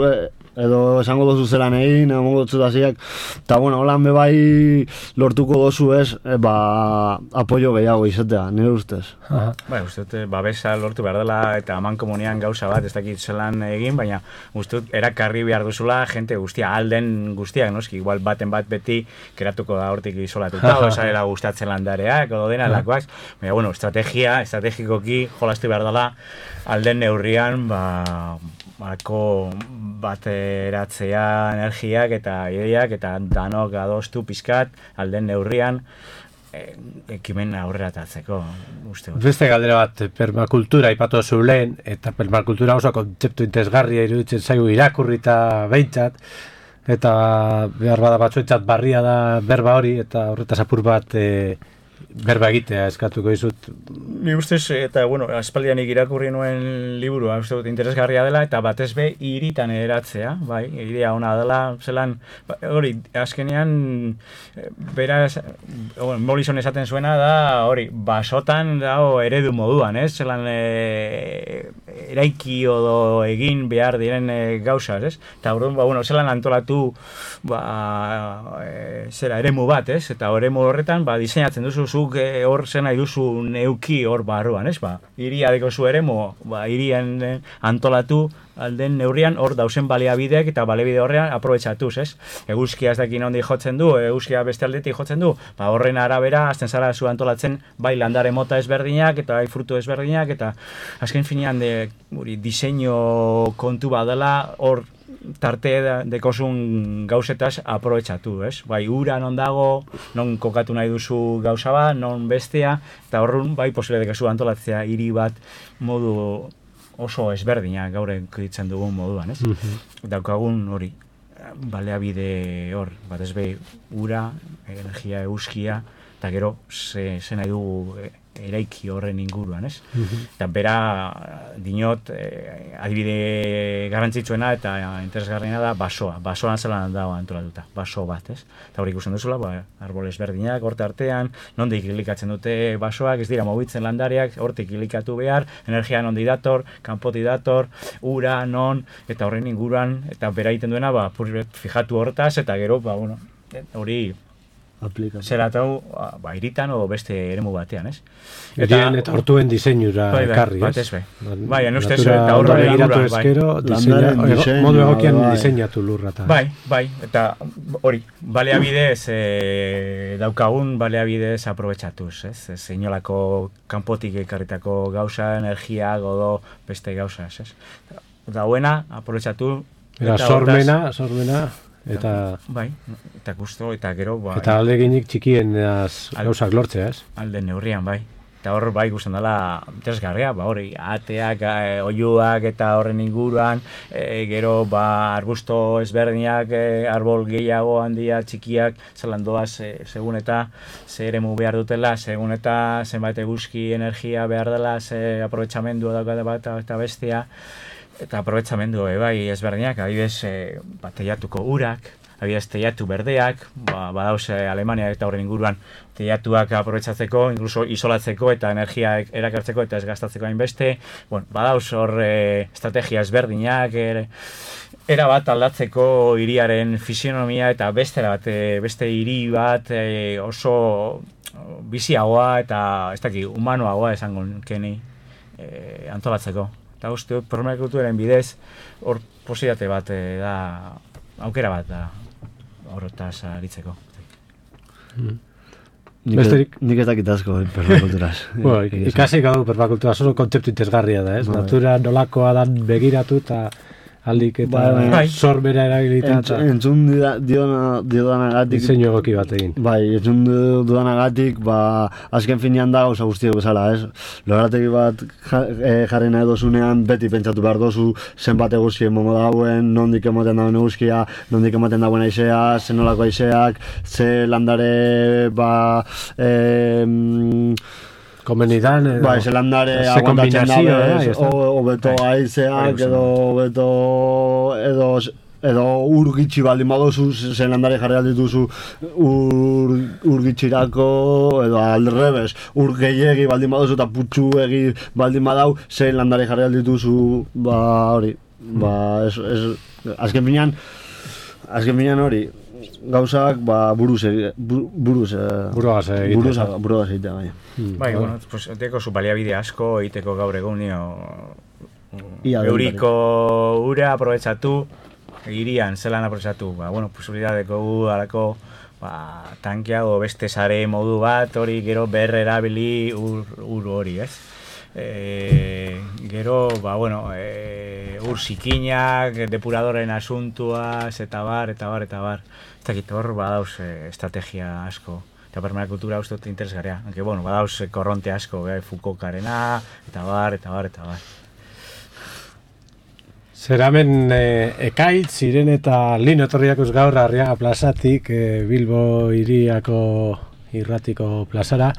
e, edo esango dozu zelan egin, emongo dutxut hasiak, eta bueno, holan bebai lortuko dozu ez, e, ba, apoio gehiago izatea, nire ustez. Ba, uste dut, babesa lortu behar dela eta aman komunian gauza bat, ez dakit zelan egin, baina uste dut, erakarri behar duzula, jente guztia, alden guztiak, noski, igual baten bat beti keratuko da hortik isolatuta, o esarela gustatzen landareak, edo dena lakoak, baina, bueno, estrategia, estrategikoki jolastu behar dela, alden neurrian, ba, bako bateratzea energiak eta ideiak eta danok adostu pizkat alden neurrian e, ekimen aurrera tatzeko, uste. Beste galdera bat, permakultura ipatu zu lehen, eta permakultura oso kontzeptu interesgarria iruditzen zaigu irakurrita behintzat, eta behar bada batzuetzat barria da berba hori, eta horretaz apur bat e, berba egitea eskatuko dizut. Ni ustez, eta bueno, aspaldianik irakurri nuen liburua, uste dut interesgarria dela, eta batez be hiritan eratzea, bai, idea ona dela, zelan, hori, azkenean, bera, Morrison esaten zuena da, hori, basotan dago eredu moduan, ez, zelan, e, eraiki odo egin behar diren e, gauzaz, ez, eta hori, ba, bueno, zelan antolatu, ba, e, zera, eremu bat, ez, eta eremu horretan, ba, diseinatzen duzu zuk hor zen nahi duzu neuki hor barruan, ez, ba, iria deko zu eremu, ba, irian antolatu alden neurrian hor dausen baliabideak eta baliabide horrean aprobetxatuz, ez? Eguzkia ez dakin ondi jotzen du, eguzkia beste aldetik jotzen du, ba, horren arabera azten zara zu antolatzen bai landare mota ezberdinak eta bai frutu ezberdinak eta azken finean de, uri, diseinu kontu badela hor tarte dekozun gauzetaz aprobetxatu, ez? Bai, ura non dago, non kokatu nahi duzu gauza bat, non bestea, eta horren bai posible dekozu antolatzea hiri bat modu oso ezberdina gaur ditzen dugun moduan, ez? Mm-hmm. Daukagun hori, baleabide hor, bat ez behi, ura, energia, eguzkia, eta gero, ze, ze nahi dugu eraiki horren inguruan, ez? Mm-hmm. Eta bera, dinot, eh, adibide garrantzitsuena eta interesgarriena da basoa. Basoan zelan dago antolatuta, baso bat, ez? Eta hori ikusten duzula, ba, arbol ezberdinak, horte artean, nondik kilikatzen dute basoak, ez dira mobitzen landariak, hortik kilikatu behar, energia nondi dator, kanpoti dator, ura, non, eta horren inguruan, eta bera egiten duena, ba, fijatu hortaz, eta gero, ba, bueno, hori, zeratau, ba, iritan o beste eremu batean, ez? Eta hortuen diseinura ekarri, ez? Batez be. Bai, enustez, eta horra begiratu ezkero, modu egokian diseinatu lurra. Bai, bai, eta hori, baleabidez, daukagun baleabidez aprobetxatuz, ez? Ez inolako kanpotik ekarritako gauza, energia, godo, beste gauza, ez? Dauena, aprobetxatu. Eta sormena, sormena. Eta bai, eta gusto eta gero bai. Eta alde ginik txikien gauzak lortzea, ez? Alde neurrian bai. Eta hor bai gusten dela interesgarria, ba hori, ateak, e, oiuak eta horren inguruan, e, gero ba arbusto ezberdinak, e, arbol gehiago handia txikiak, zelan doaz, e, segun eta ze eremu behar dutela, segun eta zenbait eguzki energia behar dela, ze aprobetxamendu daukate bat eta bestia. Eta aprobetxamendu, e, bai, ezberdinak, adibidez, e, bateiatuko urak, Adibidez, teiatu berdeak, ba, badauz Alemania eta horren inguruan teiatuak aprobetxatzeko, incluso isolatzeko eta energia erakartzeko eta ez gastatzeko hainbeste. Bueno, badauz hor e, estrategia ezberdinak, er, era bat aldatzeko hiriaren fisionomia eta beste bat, e, beste hiri bat e, oso biziagoa eta ez daki, humanoagoa esango keni e, antolatzeko. Eta uste dut, permakulturaren bidez, hor posibilitate bat e, da, aukera bat da, horretaz aritzeko. Mm. Nik, Besterik? nik ez dakit asko permakulturaz. Bueno, ikasi gau permakultura, oso kontzeptu interesgarria da, ez? Bai. Natura nolakoa dan begiratu eta aldik eta Bai, bai. sorbera erabilita Entz, eta entzun dida- diona- diodanagatik, diseinu egoki bat egin. bai, entzun dudanagatik, ba, azken finean da gauza guztiak bezala, ez? Lorategi bat ja- eh, jarri nahi dozunean, beti pentsatu behar dozu, zenbat eguzki emongo dauen, nondik ematen dauen eguzkia, nondik ematen dauen aizea, zen nolako aizeak, ze landare, ba, eh, Komenidan, edo, Bai, zelandare ze aguantatzen kombinazio, dabe, eh, ez, ezta? o- hobeto Bai. haizeak, Bai, edo hobeto, edo, edo ur gitxi baldin badozu, zelandare jarri aldituzu ur, ur gitxirako, edo aldrebes, ur gehiegi baldin badozu eta putxu egi baldin badau, zelandare jarri aldituzu, ba, hori, ba, ez, ez, azken finean, azken finean hori, gauzak, ba, buruz, egi- bu- buruz, eh, Buruagaz egitea. buruz, buruagaz egitea, bai. Mm, Bai, bueno, pues, teko zu baliabide asko egiteko gaur egun nio Ia euriko ura aprobetsatu, hirian zelan aprobetsatu, ba, bueno, posibilidadeko gu alako ba, tankeago beste sare modu bat, hori gero berre erabili ur, ur hori, ez? E, gero, ba, bueno, e, ur zikinak, depuradoren asuntuaz, eta bar, eta bar, eta bar. Ez dakit, hor badauz e, estrategia asko. Eta permakultura uste dut interesgarria. Aunque, bueno, badauz e, korronte asko, gai, Foucaultarena, eta bar, eta bar, eta bar. Zeramen e, ekaitz, ziren eta lino etorriakuz gaur Arriaga plazatik, e, Bilbo hiriako irratiko plazara.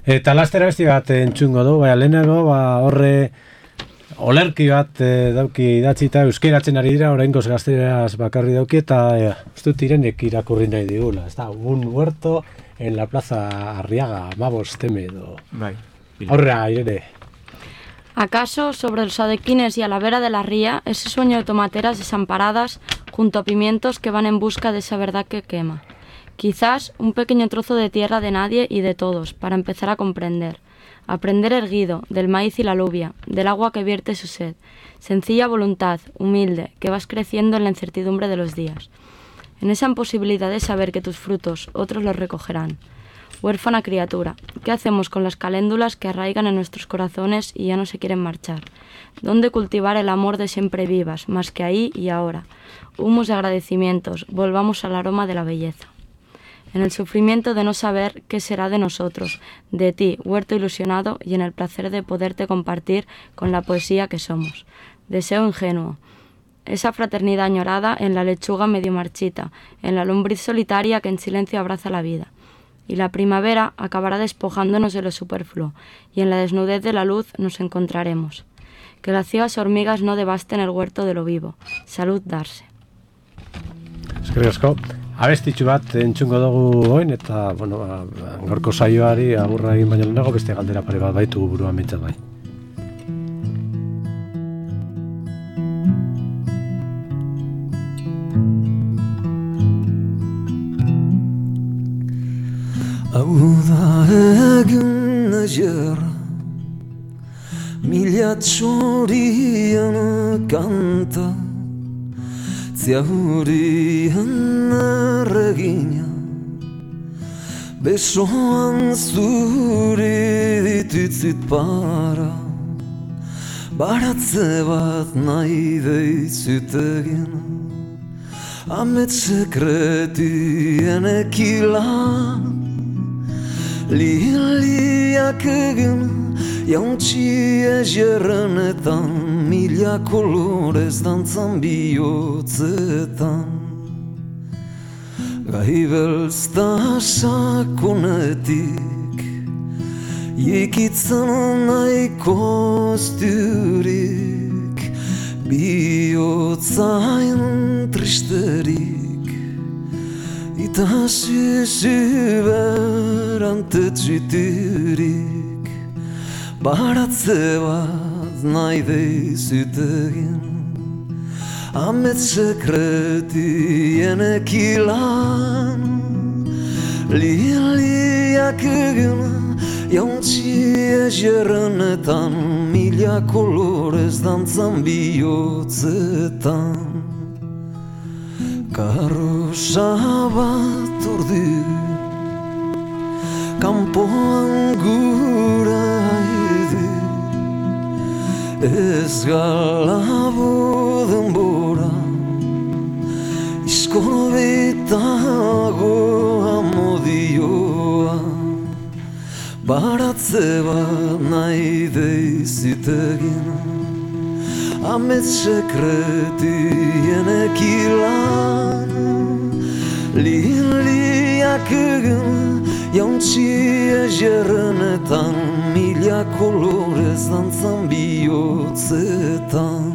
Eta lastera besti bat entzungo du, baina lehenago, ba, horre olerki bat e, dauki idatzita euskeratzen ari dira, oraingoz gazteraz bakarri dauki, eta e, uste dut Irenek irakurri nahi digula. Ez da, un huerto en la plaza Arriaga, Mabos Teme, edo. Bai. Aurrea, Irene. ¿Acaso sobre los adequines y a la vera de la ría ese sueño de tomateras desamparadas junto a pimientos que van en busca de esa verdad que quema? Quizás un pequeño trozo de tierra de nadie y de todos, para empezar a comprender. Aprender erguido, del maíz y la alubia, del agua que vierte su sed. Sencilla voluntad, humilde, que vas creciendo en la incertidumbre de los días. En esa imposibilidad de saber que tus frutos otros los recogerán. Huérfana criatura, ¿qué hacemos con las caléndulas que arraigan en nuestros corazones y ya no se quieren marchar? ¿Dónde cultivar el amor de siempre vivas, más que ahí y ahora? Humus de agradecimientos, volvamos al aroma de la belleza. En el sufrimiento de no saber qué será de nosotros, de ti, huerto ilusionado, y en el placer de poderte compartir con la poesía que somos. Deseo ingenuo. Esa fraternidad añorada en la lechuga medio marchita, en la lombriz solitaria que en silencio abraza la vida. Y la primavera acabará despojándonos de lo superfluo, y en la desnudez de la luz nos encontraremos. Que las ciegas hormigas no devasten el huerto de lo vivo. Salud darse. Eskerrik asko. Abestitxu bat entzungo dugu oin, eta, bueno, ba, gaurko saioari agurra egin baino lehenago beste galdera pare bat baitugu buruan bintzat bai. Hau da egin nahiara, mila txorien kanta, Ziaurien erregina, besoan zuri ditutzit para, baratze bat nahi deitzut egin, amet sekretien ekila, liliak egin, jauntxi egerrenetan, mila kolorez dantzan bihotzetan. Gai belzta sakonetik, jikitzen nahiko zturik, bihotzain tristerik, eta zizi berantetxitirik baratze bat nahi deizut egin Amets sekretien ekilan Liliak egin jauntzi ezerrenetan Mila kolorez dantzan bihotzetan Karrosa bat ordi Kampoan gura haide Ez galabo denbora Izkorbitago amodioa Baratze bat nahi deizut egin Amets sekretien ekilan Liliak egin jauntzi ezerrenetan Mila kolorez dantzan bihotzetan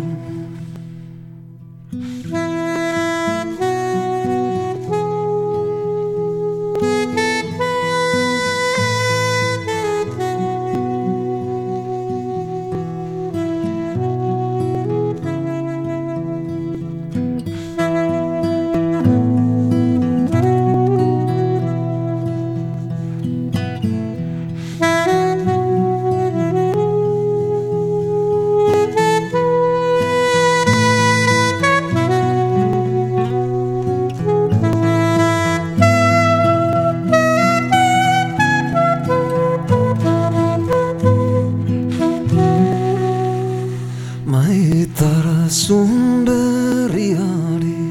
Maitarazun berriari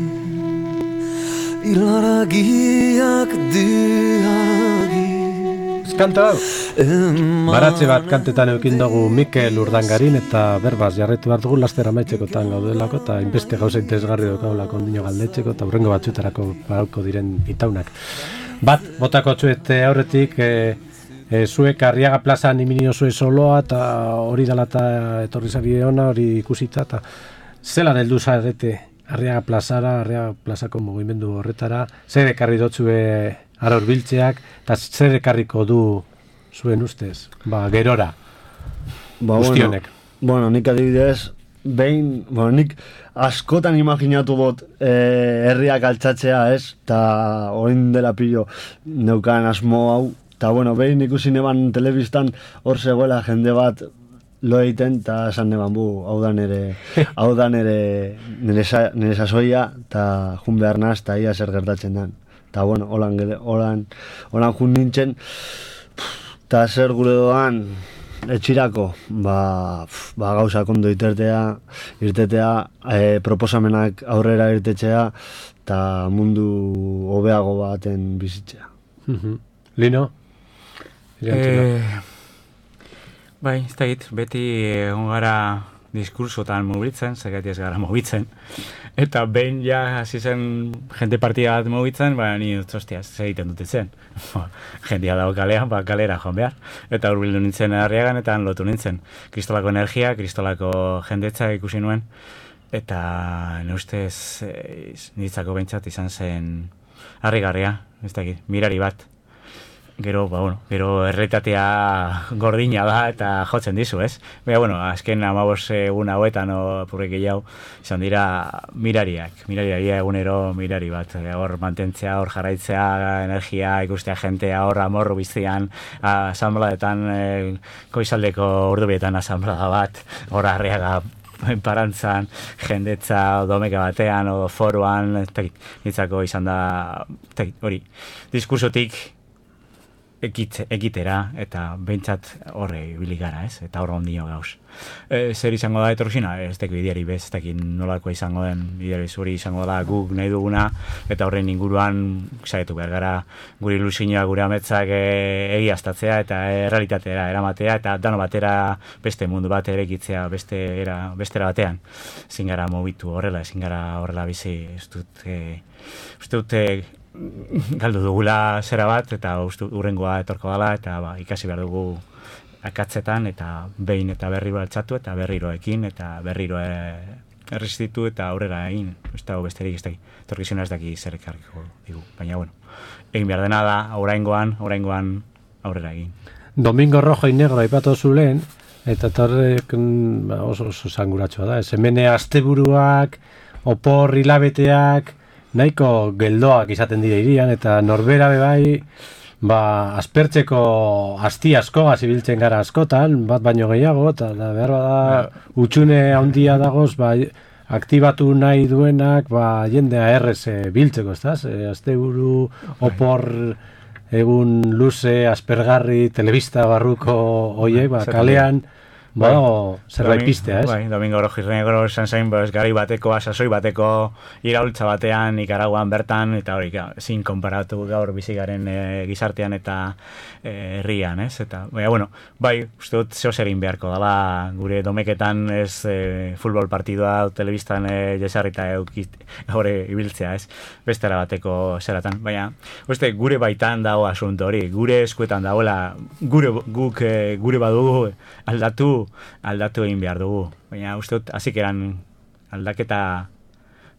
Ilaragiak diaragi Kanta hau, baratze bat kantetan eukin dugu Mikel Urdangarin eta berbaz jarretu behar dugu laster amaitzekotan gaudelako eta inbeste gauza interesgarri daukagulako ondino galdetzeko eta hurrengo batzuetarako barauko diren itaunak. Bat, botako txuet aurretik, e, e, zuek Arriaga plazan iminio zue soloa eta hori dela eta etorri zari ona, hori ikusita eta zelan heldu zarete Arriaga plazara, Arriaga plazako mugimendu horretara, zer ekarri dotzue aror biltzeak, eta zer ekarriko du zuen ustez, ba, gerora, ba, guztionek. Bueno, bueno, nik adibidez, behin, bueno, nik askotan imaginatu bot eh, herriak altxatzea, ez? Ta orain dela pilo neukan asmo hau, eta bueno, behin ikusi neban telebistan hor zegoela jende bat lo egiten, eta esan neban bu, hau da nere, hau da nere, nere, sa, nere sasoia, eta jun behar naz, eta ia zer gertatzen den. Eta bueno, holan, holan, holan jun nintzen, eta zer gure doan, etxirako, ba, ba gauza kondo irtetea, irtetea, e, proposamenak aurrera irtetzea, eta mundu hobeago baten bizitzea. Uh-huh. Lino? Eh, bai, ez da hit, beti egon gara diskursotan mobitzen, zergatik ez gara mobitzen. Eta behin ja hasi zen jende partida bat mobitzen, ba, ni dut, ostia, zer egiten dute zen. Jendia dago kalean, ba, kalera joan behar. Eta hurbildu nintzen Arriagan, eta lotu nintzen. Kristolako energia, kristolako jendetza ikusi nuen. Eta ne ustez, e, niretzako behintzat izan zen harrigarria, ez dakit, mirari bat. Gero, ba, bueno, gero erreitatea gordina da eta jotzen dizu, ez? Baina, bueno, azken amabos egun hauetan o purrek gehiago izan dira mirariak, mirariak egunero mirari bat, hor mantentzea, hor jarraitzea, energia, ikustea jentea, hor amorru biztian, asanbladetan, e, koizaldeko urdubietan asanblada bat, hor Arriaga parantzan, jendetza domeka batean, o foruan, nitzako izan da, hori, diskursotik, Ekitze, ekitera, eta behintzat horre ibili gara, ez? Eta horre ondino gauz. E, zer izango da etorxina? Ez teko ideari bez, ez tekin nolako izango den ideari zuri izango da guk nahi duguna, eta horren inguruan saietu behar gara guri ilusioa, gure ametzak e, egiaztatzea eta errealitatera eramatea, eta dano batera beste mundu bat erekitzea beste era, bestera batean. Ezin gara mobitu horrela, ezin gara horrela bizi, ez dut, e, ez dut, e, galdu dugula zera bat, eta uste urrengoa etorko dela, eta ba, ikasi behar dugu akatzetan, eta behin eta berriro altxatu, eta berriroekin, eta berriro e, erresistitu eta aurrera egin, ez dago besterik, ez daki, etorkizuna ez daki zer ekarriko digu, baina, bueno, egin behar dena da, oraingoan, oraingoan aurrera egin. Domingo Rojo y Negro aipatu zu lehen, eta torrek oso, oso zanguratsua da, ez hemen asteburuak, opor hilabeteak, nahiko geldoak izaten dira irian, eta norbera bebai, ba, aspertzeko asti asko gazibiltzen gara askotan, bat baino gehiago, eta da, behar bada utxune handia dagoz, ba, aktibatu nahi duenak, ba, jendea errez e, biltzeko, ez da? E, asteburu, opor, egun luze, aspergarri, telebista barruko hoiek, ba, kalean, badago zerbait pistea, ez? Bai, Domingo Rojo y Negro esan zain, pues, gari bateko, sasoi bateko iraultza batean, Nicaraguan bertan, eta hori, ezin konparatu gaur bizigaren e, gizartean eta herrian, e, ez? Eta, baina, bueno, bai, uste dut zeo zer egin beharko dela, gure domeketan ez e, futbol partidua telebistan e, jesarrita eukit, hori ibiltzea, ez? Bestera bateko zeratan, baina, uste, gure baitan dago asunto hori, gure eskuetan dagoela, gure, guk, e, gure badugu aldatu aldatu egin behar dugu. Baina uste dut, hasik eran aldaketa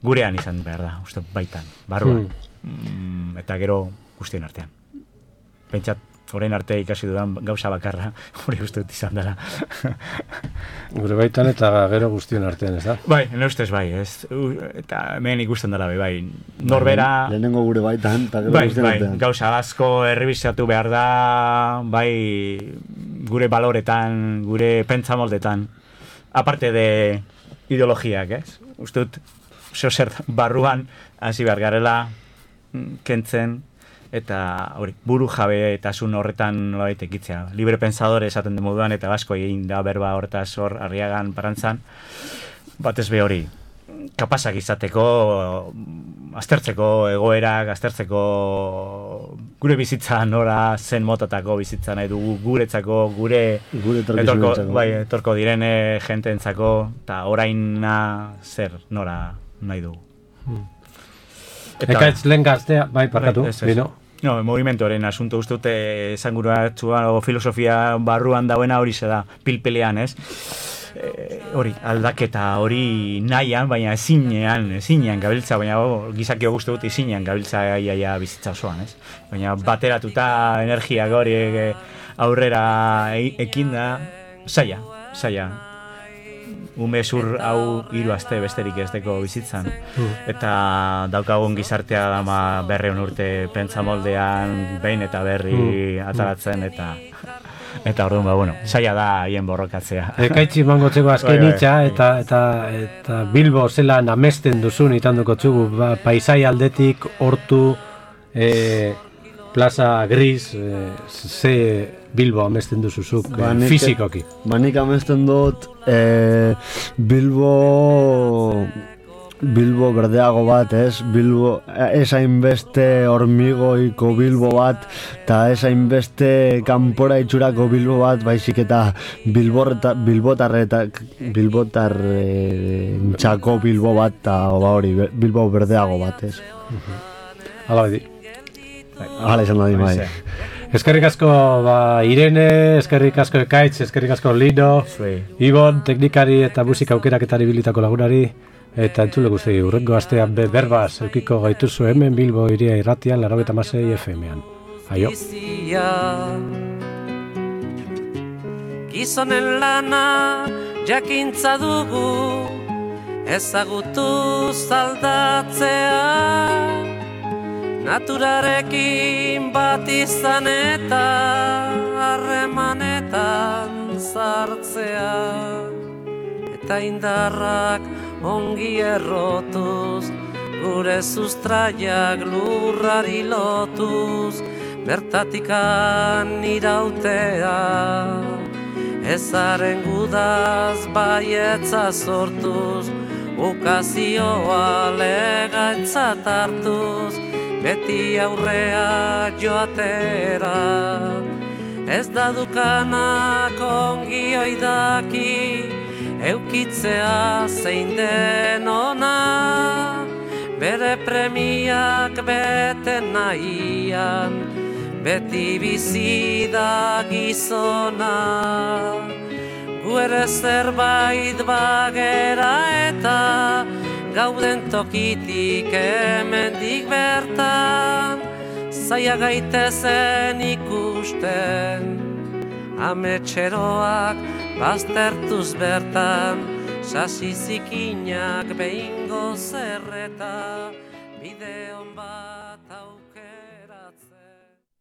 gurean izan behar da, uste dut baitan, barruan. Hmm. Mm, eta gero guztien artean. Pentsat, orain arte ikasi dudan gauza bakarra, hori uste dut izan dela. Gure baitan eta gero guztien artean, ez da? Bai, ne ustez bai, ez. Eta hemen ikusten dela bai, bai. Norbera... Lehenengo gure baitan, eta gero bai, guztien bai, artean. Gauza asko errebizatu behar da, bai, gure baloretan, gure pentsamoldetan, aparte de ideologiak, ez? Uste dut, zeo zer barruan, hasi behar garela, kentzen, eta hori, buru jabe eta zun horretan nolabait ekitzea. Libre pensadore esaten den moduan, eta asko egin da berba horretaz hor Arriagan Parantzan, batez be hori, kapasak izateko, aztertzeko egoerak, aztertzeko gure bizitza nora zen motatako bizitza nahi dugu, guretzako, gure, gure etorko, bai, etorko direne jenteentzako, eta oraina zer nora nahi dugu. Hmm. Eta Ekaitz lehen gaztea, bai, parkatu, bai, bino. No, movimentoren asunto uste dute esanguratxua o filosofia barruan dauena hori ze da, pilpelean, ez? E, hori, aldaketa hori nahian, baina ezinean, ezinean gabiltza, baina oh, gizakio guzti dut ezinean gabiltza iaia bizitza osoan, ez? Baina bateratuta energia hori e, aurrera e, ekinda, saia, saia. Ume zur hau hiru aste besterik ez deko bizitzan. Mm. Eta daukagun gizartea dama berreun urte pentsamoldean behin eta berri mm. ataratzen eta eta orduan, ba, bueno, saia da hien borrokatzea. Ekaitzi mangotzeko azken hitza eta, eta, eta Bilbo zelan amesten duzun itanduko txugu, ba, paisai aldetik, hortu, e, plaza gris, e, ze Bilbo amesten duzuzuk, ba, e, fizikoki. Ba, nik amesten dut e, Bilbo Bilbo berdeago bat, ez? Bilbo, ez hainbeste hormigoiko Bilbo bat, eta ez hainbeste kanpora itxurako Bilbo bat, baizik eta Bilborreta, Bilbotarretak, Bilbotarrentzako Bilbo bat, eta hori, Bilbo berdeago bat, ez? Hala bedi. Hala izan da di, bai. Eskerrik asko ba, Irene, eskerrik asko Ekaitz, eskerrik asko Lino, Ibon, teknikari eta musika aukeraketari bilitako lagunari, eta entzule guzti, urrengo astean be berbaz, eukiko gaituzu hemen Bilbo Iria Irratian, laurogeita hamasei F M-an. Aio. Gizonen lana jakintza dugu, ezagutu zaldatzea, naturarekin bat izan eta harremanetan sartzea, eta indarrak ongi errotuz, gure sustraiak lurrari lotuz, bertatikan irautea, ezaren gudaz baietza sortuz, ukazioa legaintzat hartuz, beti aurrea joatera, ez da dukanak ongi oidaki, eukitzea zein den ona, bere premiak bete nahian, beti bizi da gizona. gu ere zerbait bagera eta gauden tokitik hemendik bertan, zaila gaitezen ikusten, ametxeroak baztertuz bertan, sasi zikinak behingo zerreta, bide hon bat auk.